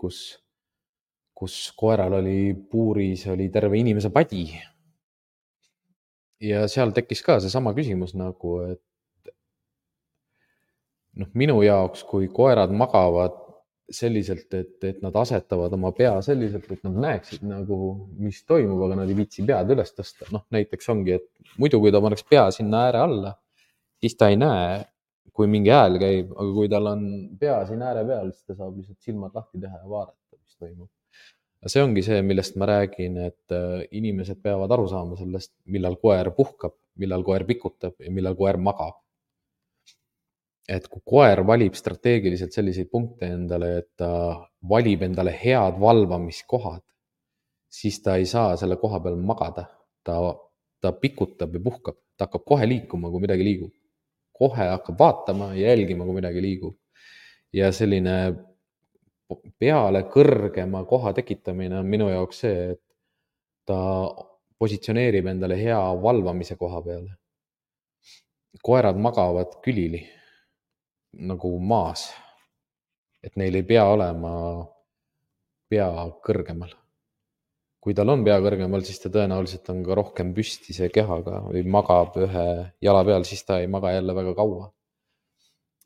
kus koeral oli puuris, oli terve inimese padi. Ja seal tekkis ka seesama küsimus nagu, et minu jaoks, kui koerad magavad selliselt, et nad asetavad oma pea selliselt, et nad näeksid nagu, mis toimub, aga nad ei viitsi pead üles tõsta. Näiteks ongi, et muidu kui ta paneks pea sinna ääre alla, siis ta ei näe, kui mingi hääl käib, aga kui tal on pea siin ääre peal, siis ta saab lihtsalt silmad lahti teha ja vaadata, mis toimub. Ja see ongi see, millest ma räägin, et inimesed peavad aru saama sellest, millal koer puhkab, millal koer pikutab ja millal koer magab. Et kui koer valib strateegiliselt selliseid punkte endale, et ta valib endale head valvamiskohad, siis ta ei saa selle koha peal magada. Ta pikutab ja puhkab, ta hakkab kohe liikuma, kui midagi liigub. Kohe hakkab vaatama ja jälgima, kui midagi liigub. Ja selline peale kõrgema koha tekitamine on minu jaoks see, et ta positsioneerib endale hea valvamise koha peale. Koerad magavad külili nagu maas, et neil ei pea olema pea kõrgemal. Kui tal on pea kõrgemal, siis ta tõenäoliselt on ka rohkem püstise kehaga või magab ühe jala peal, siis ta ei maga jälle väga kaua.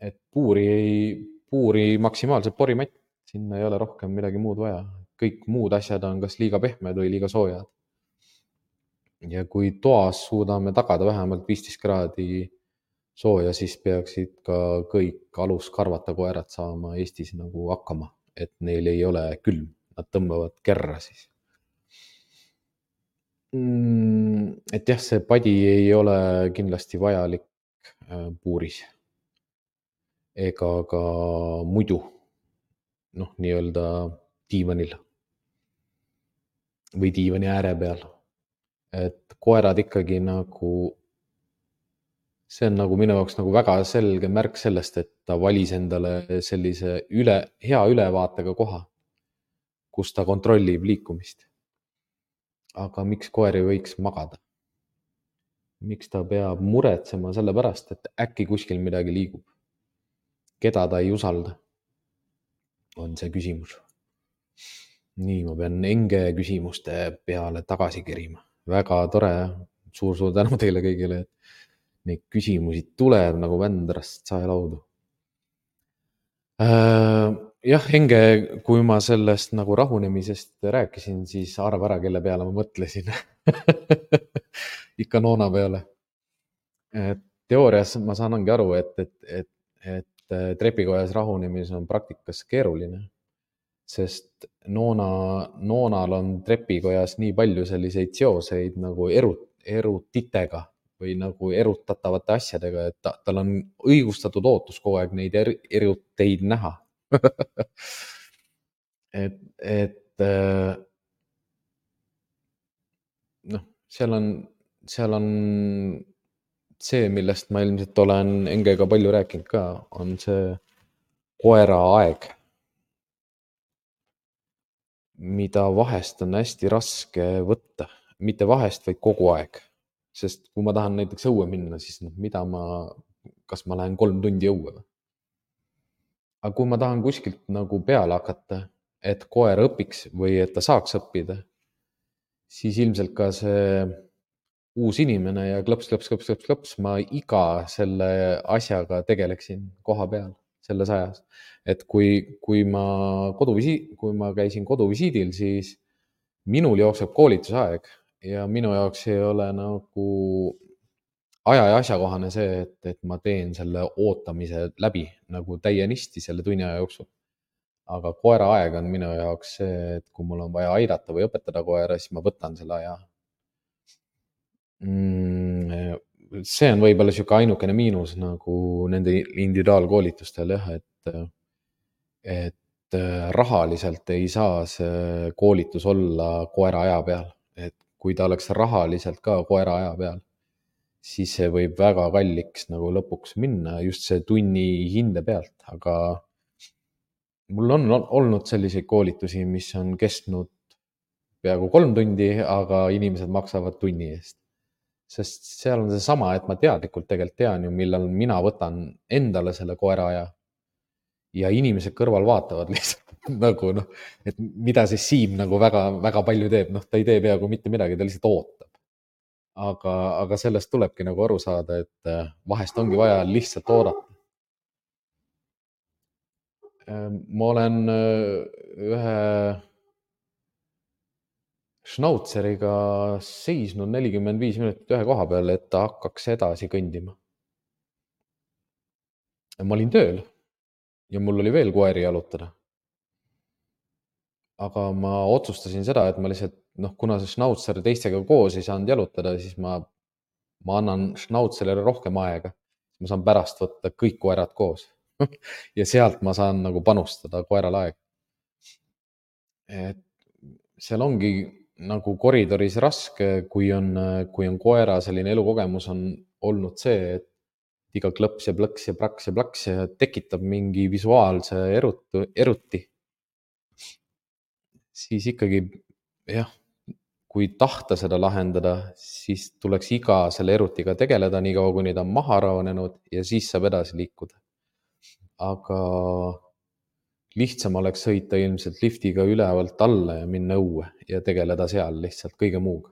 Et puuri maksimaalselt porimatt, sinna ei ole rohkem midagi muud vaja. Kõik muud asjad on kas liiga pehmed või liiga soojad. Ja kui toas suudame tagada vähemalt 15 kraadi sooja, siis peaksid ka kõik aluskarvata koerad saama Eestis nagu hakkama, et neil ei ole külm, nad tõmbavad kerra siis. Et jah, see padi ei ole kindlasti vajalik puuris ega ka muidu, nii-öelda diivanil või diivani ääre peal. Et koerad ikkagi nagu, see on nagu minu jaoks nagu väga selge märk sellest, et ta valis endale sellise hea ülevaatega koha, kus ta kontrollib liikumist. Aga miks koer ei võiks magada? Miks ta peab muretsema selle pärast, et äkki kuskil midagi liigub? Keda ta ei usalda? On see küsimus. Nii, ma pean enge küsimuste peale tagasi kerima. Väga tore, suur tänu teile kõigile, et neid küsimusi tuleb nagu vändrast saelaudu. Jah, Enge, kui ma sellest nagu rahunemisest rääkisin, siis arva ära, kelle peale ma mõtlesin. Ikka Noona peale. Teoorias ma saangi aru, et trepikojas rahunemis on praktikas keeruline, sest Noonal on trepikojas nii palju selliseid seoseid nagu erutitega või nagu erutatavate asjadega, et tal on õigustatud ootus kogu aeg neid eruteid näha. Seal on see, millest ma ilmselt olen Engega palju rääkinud ka, on see koera aeg. mida vahest on hästi raske võtta. Mitte vahest, vaid kogu aeg. Sest kui ma tahan näiteks õue minna, siis kas ma lähen 3 tundi õue või? Aga kui ma tahan kuskilt nagu peale hakata, et koer õpiks või et ta saaks õppida, siis ilmselt ka see uus inimene ja klõps, ma iga selle asjaga tegeleksin koha peal selles ajas. Et kui ma käisin koduvisiidil, siis minul jookseb koolitusaeg ja minu jaoks ei ole nagu aja ja asjakohane see, et ma teen selle ootamise läbi nagu täienisti selle tunni aja jooksul. Aga koera aeg on minu jaoks see, et kui mul on vaja aidata või õpetada koera, siis ma võtan selle aja. See on võib-olla sihuke ainukene miinus nagu nende individuaalkoolitustel jah, et rahaliselt ei saa see koolitus olla koera aja peal. Et kui ta oleks rahaliselt ka koera aja peal, siis see võib väga kalliks nagu lõpuks minna just see tunni hinde pealt, aga mul on olnud selliseid koolitusi, mis on kestnud peaaegu 3 tundi, aga inimesed maksavad tunni eest. Sest seal on seesama, et ma teadlikult tegelikult tean ju, millal mina võtan endale selle koera aja ja inimesed kõrval vaatavad lihtsalt nagu noh, et mida siis Siim nagu väga, väga palju teeb, noh, ta ei tee peaaegu mitte midagi, ta lihtsalt ootab. Aga sellest tulebki nagu aru saada, et vahest ongi vaja lihtsalt oodata. Ma olen ühe šnautseriga seisnud 45 minutit ühe koha peal, et ta hakkaks edasi kõndima. Ma olin tööl ja mul oli veel koeri jalutada. Aga ma otsustasin seda, et ma lihtsalt, noh, kuna see šnautser teistega koos ei saanud jalutada, siis ma annan šnautserile rohkem aega. Ma saan pärast võtta kõik koerad koos ja sealt ma saan nagu panustada koerale aega. Et seal ongi nagu koridoris raske, kui on koera selline elukogemus on olnud see, et iga klõps ja plõks ja praks ja plaks ja tekitab mingi visuaalse eruti. Siis ikkagi jah, kui tahta seda lahendada, siis tuleks iga selle erutiga tegeleda nii kaua, kuni ta on maha rahunenud ja siis saab edasi liikuda. Aga lihtsam oleks sõita ilmselt liftiga ülevalt alla ja minna õue ja tegeleda seal lihtsalt kõige muuga.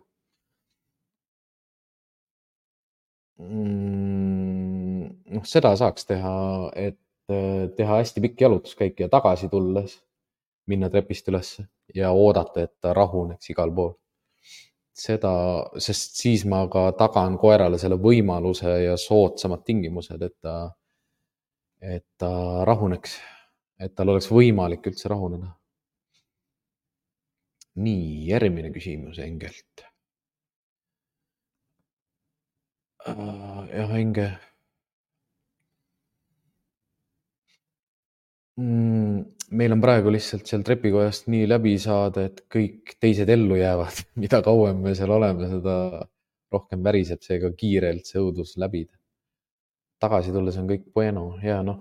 Noh, seda saaks teha, et teha hästi pikk jalutuskäik ja tagasi tulles minna trepist üles ja oodata, et ta rahuneks igal pool. Seda, sest siis ma ka tagan koerale selle võimaluse ja soodsamad tingimused, et ta rahuneks, et tal oleks võimalik üldse rahuneda. Nii, järgmine küsimus Engelt. Jah, Enge. Meil on praegu lihtsalt seal trepikojast nii läbi saada, et kõik teised ellu jäävad. Mida kauem me seal oleme, seda rohkem väriseb seega kiirelt see õudus läbida. Tagasi tulles on kõik bueno ja noh,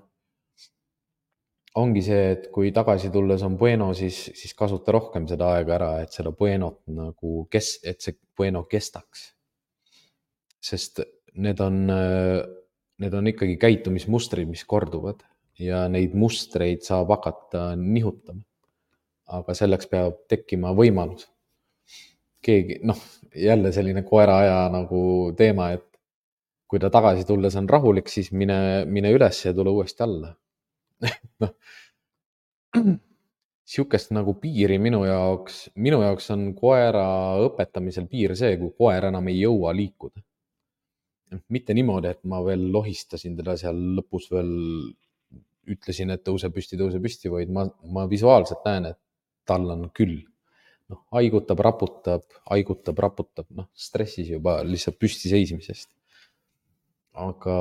ongi see, et kui tagasi tulles on bueno, siis kasuta rohkem seda aega ära, et seda buenot nagu et see bueno kestaks. Sest need on ikkagi käitumismustrid, mis korduvad ja neid mustreid saab hakata nihutama. Aga selleks peab tekkima võimalus. Keegi, noh, jälle selline koera aja nagu teema, et kui ta tagasi tulles on rahulik, siis mine üles ja tule uuesti alla. Noh, sihukest nagu piiri minu jaoks on koera õpetamisel piir see, kui koer enam ei jõua liikuda. Mitte niimoodi, et ma veel lohistasin teda seal lõpus veel, ütlesin, et tõuse püsti, vaid ma visuaalselt näen, et tal on küll. Noh, haigutab, raputab, noh, stressis juba lihtsalt püsti seismisest. Aga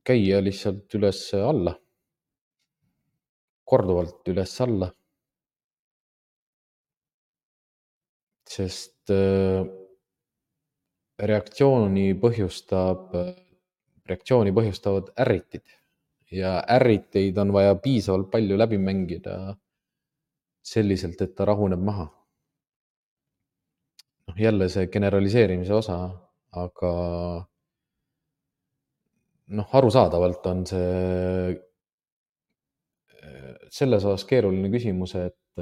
käia lihtsalt üles-alla, korduvalt üles-alla. Sest reaktsiooni põhjustavad ärritid ja ärriteid on vaja piisavalt palju läbi mängida, selliselt, et ta rahuneb maha. Noh, jälle see generaliseerimise osa, aga noh, arusaadavalt on see selles osas keeruline küsimus, et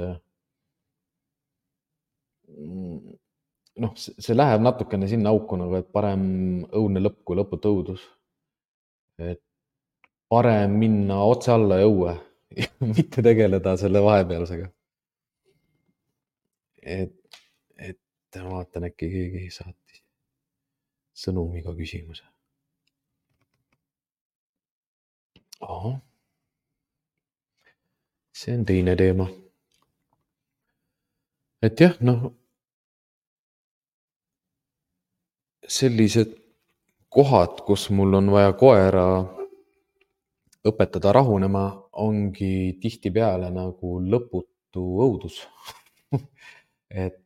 noh, see läheb natukene sinna auku nagu, et parem õudne lõpp kui lõputu õudus. Et parem minna otse alla ja õue, mitte tegeleda selle vahepealsega. et ma vaatan, äkki keegi saatis sõnumiga küsimuse. Ahah, see on teine teema. Et jah, noh, sellised kohad, kus mul on vaja koera õpetada rahunema, ongi tihtipeale nagu lõputu õudus. et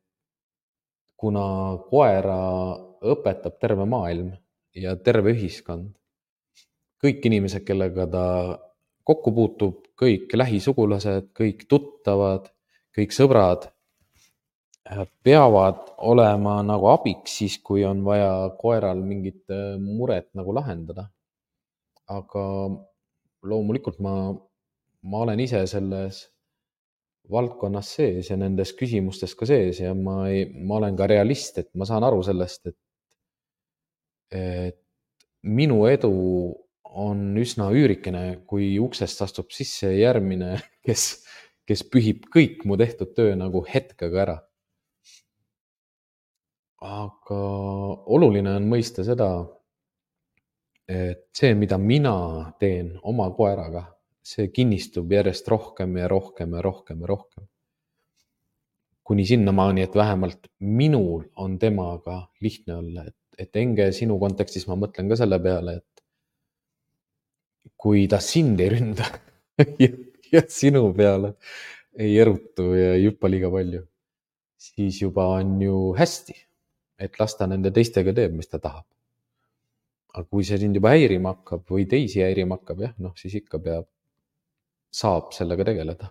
kuna koera õpetab terve maailm ja terve ühiskond, kõik inimesed, kellega ta kokku puutub, kõik lähisugulased, kõik tuttavad, kõik sõbrad peavad olema nagu abiks siis, kui on vaja koeral mingit muret nagu lahendada. Aga loomulikult ma olen ise selles valdkonnas sees ja nendes küsimustes ka sees ja ma olen ka realist, et ma saan aru sellest, et minu edu on üsna üürikene, kui uksest astub sisse järgmine, kes pühib kõik mu tehtud töö nagu hetkega ära. Aga oluline on mõista seda, et see, mida mina teen oma koeraga, see kinnistub järjest rohkem ja rohkem ja rohkem ja rohkem. Kuni sinnamaani, et vähemalt minul on temaga lihtne olla. Et Enge, sinu kontekstis ma mõtlen ka selle peale, et kui ta sind ei ründa ja sinu peale ei erutu ja ei hüppa liiga palju, siis juba on ju hästi, et las ta nende teistega teeb, mis ta tahab. Aga kui see sind juba häirima hakkab või teisi häirima hakkab, jah, noh, siis ikka saab sellega tegeleda.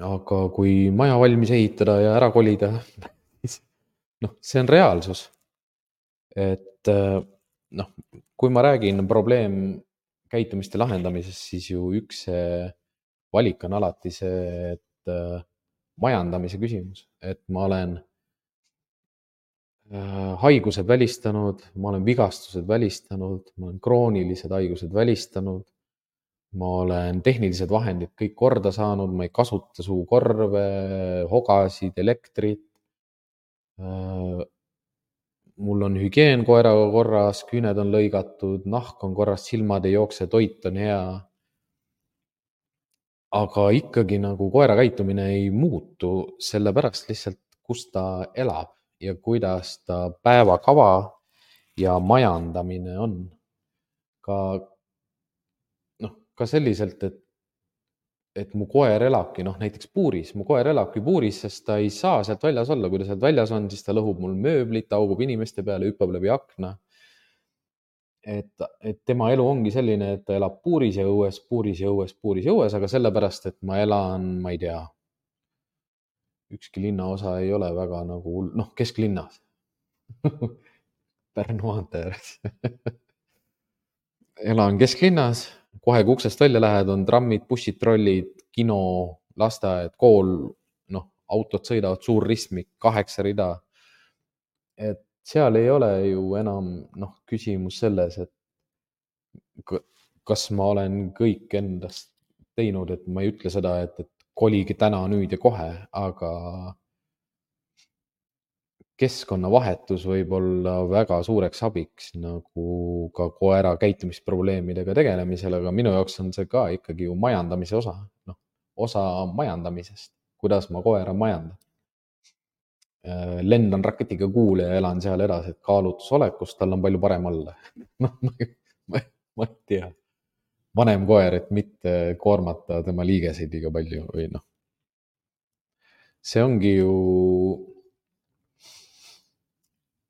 Aga kui maja valmis ehitada ja ära kolida, siis noh, see on reaalsus. Et noh, kui ma räägin probleemkäitumiste lahendamisest, siis ju üks valik on alati see, et majandamise küsimus, et ma olen haigused välistanud, ma olen vigastused välistanud, ma olen kroonilised haigused välistanud, ma olen tehnilised vahendid kõik korda saanud, ma ei kasuta suukorve, hogasid, elektrit. Mul on hügieen koeraga korras, küüned on lõigatud, nahk on korras, silmad ei jookse, toit on hea. Aga ikkagi nagu koera käitumine ei muutu sellepärast lihtsalt, kus ta elab ja kuidas ta päevakava ja majandamine on. Ka selliselt, et mu koer elabki näiteks puuris. Mu koer elabki puuris, sest ta ei saa sealt väljas olla. Kui ta sealt väljas on, siis ta lõhub mul mööblit, haugub inimeste peale, hüppab läbi akna. Et tema elu ongi selline, et ta elab puuris ja õues, puuris ja õues, puuris ja õues, aga sellepärast, et ma elan, ma ei tea, ükski linnaosa ei ole väga nagu, kesklinnas Pärnu maantee ääres elan kesklinnas, kohe kui uksest välja lähed, on trammid, bussid, trollid, kino, lasteaed, kool, autod sõidavad, suur ristmik, 8 rida. Et seal ei ole ju enam küsimus selles, et kas ma olen kõik endast teinud, et ma ei ütle seda, et kolige täna, nüüd ja kohe, aga keskkonnavahetus võib olla väga suureks abiks nagu ka koera käitumisprobleemidega tegelemisel, aga minu jaoks on see ka ikkagi ju majandamise osa, osa majandamisest, kuidas ma koera majandan. Lendan raketiga kuule ja elan seal edasi, et kaalutlusolekus tal on palju parem olla. Ma ei tea, vanem koer, et mitte koormata tema liigeseid liiga palju või see ongi ju,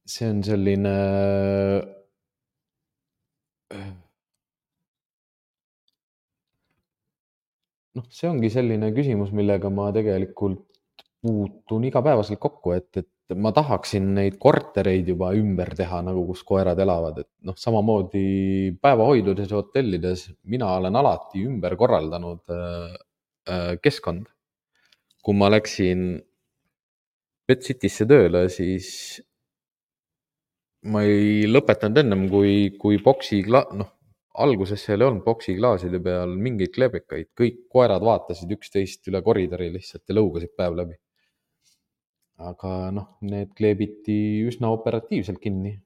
see on selline noh, see ongi selline küsimus, millega ma tegelikult puutun igapäevaselt kokku, et ma tahaksin neid kortereid juba ümber teha, nagu kus koerad elavad, et noh, samamoodi päevahoidudes ja hotellides mina olen alati ümber korraldanud keskkond. Kui ma läksin Pet Citysse tööle, siis ma ei lõpetanud ennem, kui noh, alguses seal ei olnud boksiklaaside peal mingeid klebekaid, kõik koerad vaatasid üksteist üle koridori lihtsalt ja lõugasid päev läbi. Aga noh, need kleebiti üsna operatiivselt kinni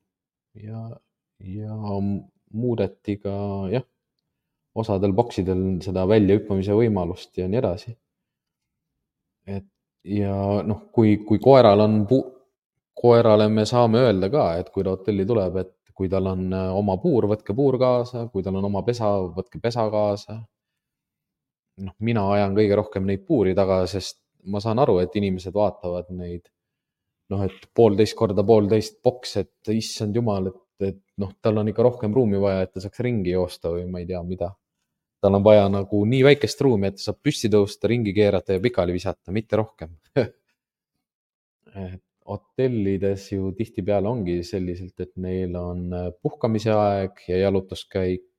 ja muudeti ka jah, osadel boksidel seda väljahüppamise võimalust ja nii edasi. Et ja noh, kui koerale me saame öelda ka, et kui ta hotelli tuleb, et kui tal on oma puur, võtke puur kaasa, kui tal on oma pesa, võtke pesa kaasa. Noh, mina ajan kõige rohkem neid puuri taga, sest ma saan aru, et inimesed vaatavad neid, noh, et 1,5 x 1,5 boks, et issand jumal, et noh, tal on ikka rohkem ruumi vaja, et ta saaks ringi joosta või ma ei tea, mida. Tal on vaja nagu nii väikest ruumi, et ta saab püsti tõusta, ringi keerata ja pikali visata, mitte rohkem. Et hotellides ju tihtipeale ongi selliselt, et neil on puhkamise aeg ja jalutuskäik,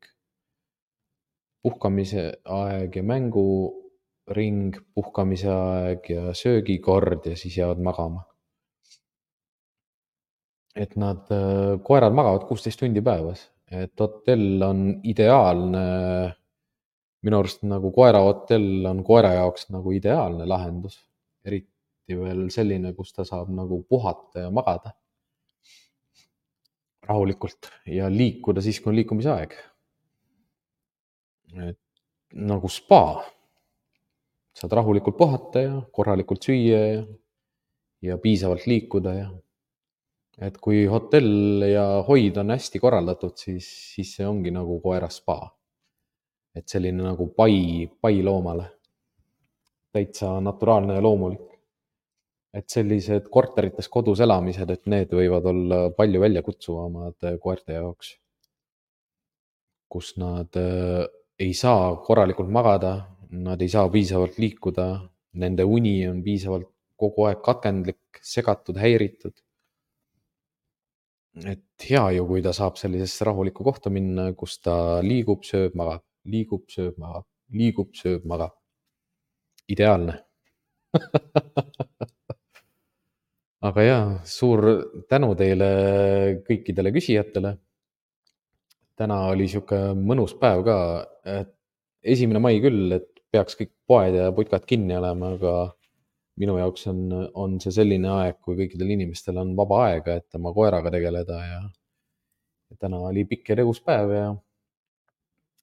puhkamise aeg ja mänguring, puhkamise aeg ja söögikord ja siis jäävad magama. Et koerad magavad 16 tundi päevas, et hotell on ideaalne. Minu arust nagu koerahotell on koera jaoks nagu ideaalne lahendus, eriti veel selline, kus ta saab nagu puhata ja magada rahulikult ja liikuda siis, kui on liikumise aeg. Et nagu spa, saad rahulikult puhata ja korralikult süüa ja piisavalt liikuda ja et kui hotell ja hoid on hästi korraldatud, siis see ongi nagu koera spa. Et selline nagu pai loomale, täitsa naturaalne ja loomulik. Et sellised korterites kodus elamised, et need võivad olla palju väljakutsuvamad koerte jaoks, kus nad ei saa korralikult magada, nad ei saa piisavalt liikuda, nende uni on piisavalt kogu aeg katkendlik, segatud, häiritud. Et hea ju, kui ta saab sellisesse rahulikku kohta minna, kus ta liigub, sööb, magab, liigub, sööb, magab, liigub, sööb, magab. Ideaalne. Aga jaa, suur tänu teile kõikidele küsijatele. Täna oli sihuke mõnus päev ka, et 1. mai küll, et peaks kõik poed ja putkad kinni olema, aga minu jaoks on see selline aeg, kui kõikidel inimestel on vaba aega, et oma koeraga tegeleda ja täna oli pikk ja tegus päev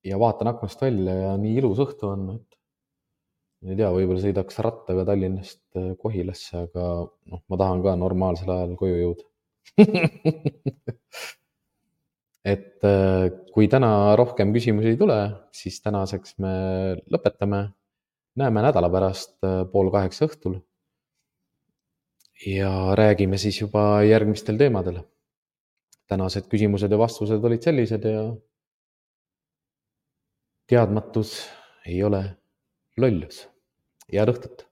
ja vaatan aknast välja ja nii ilus õhtu on, et ma ei tea, võib-olla sõidaks rattaga Tallinnast Kohilasse, aga noh, ma tahan ka normaalsel ajal koju jõuda. Et kui täna rohkem küsimusi ei tule, siis tänaseks me lõpetame. Näeme nädala pärast 7:30 õhtul ja räägime siis juba järgmistel teemadel. Tänased küsimused ja vastused olid sellised ja teadmatus ei ole lollus. Head õhtut!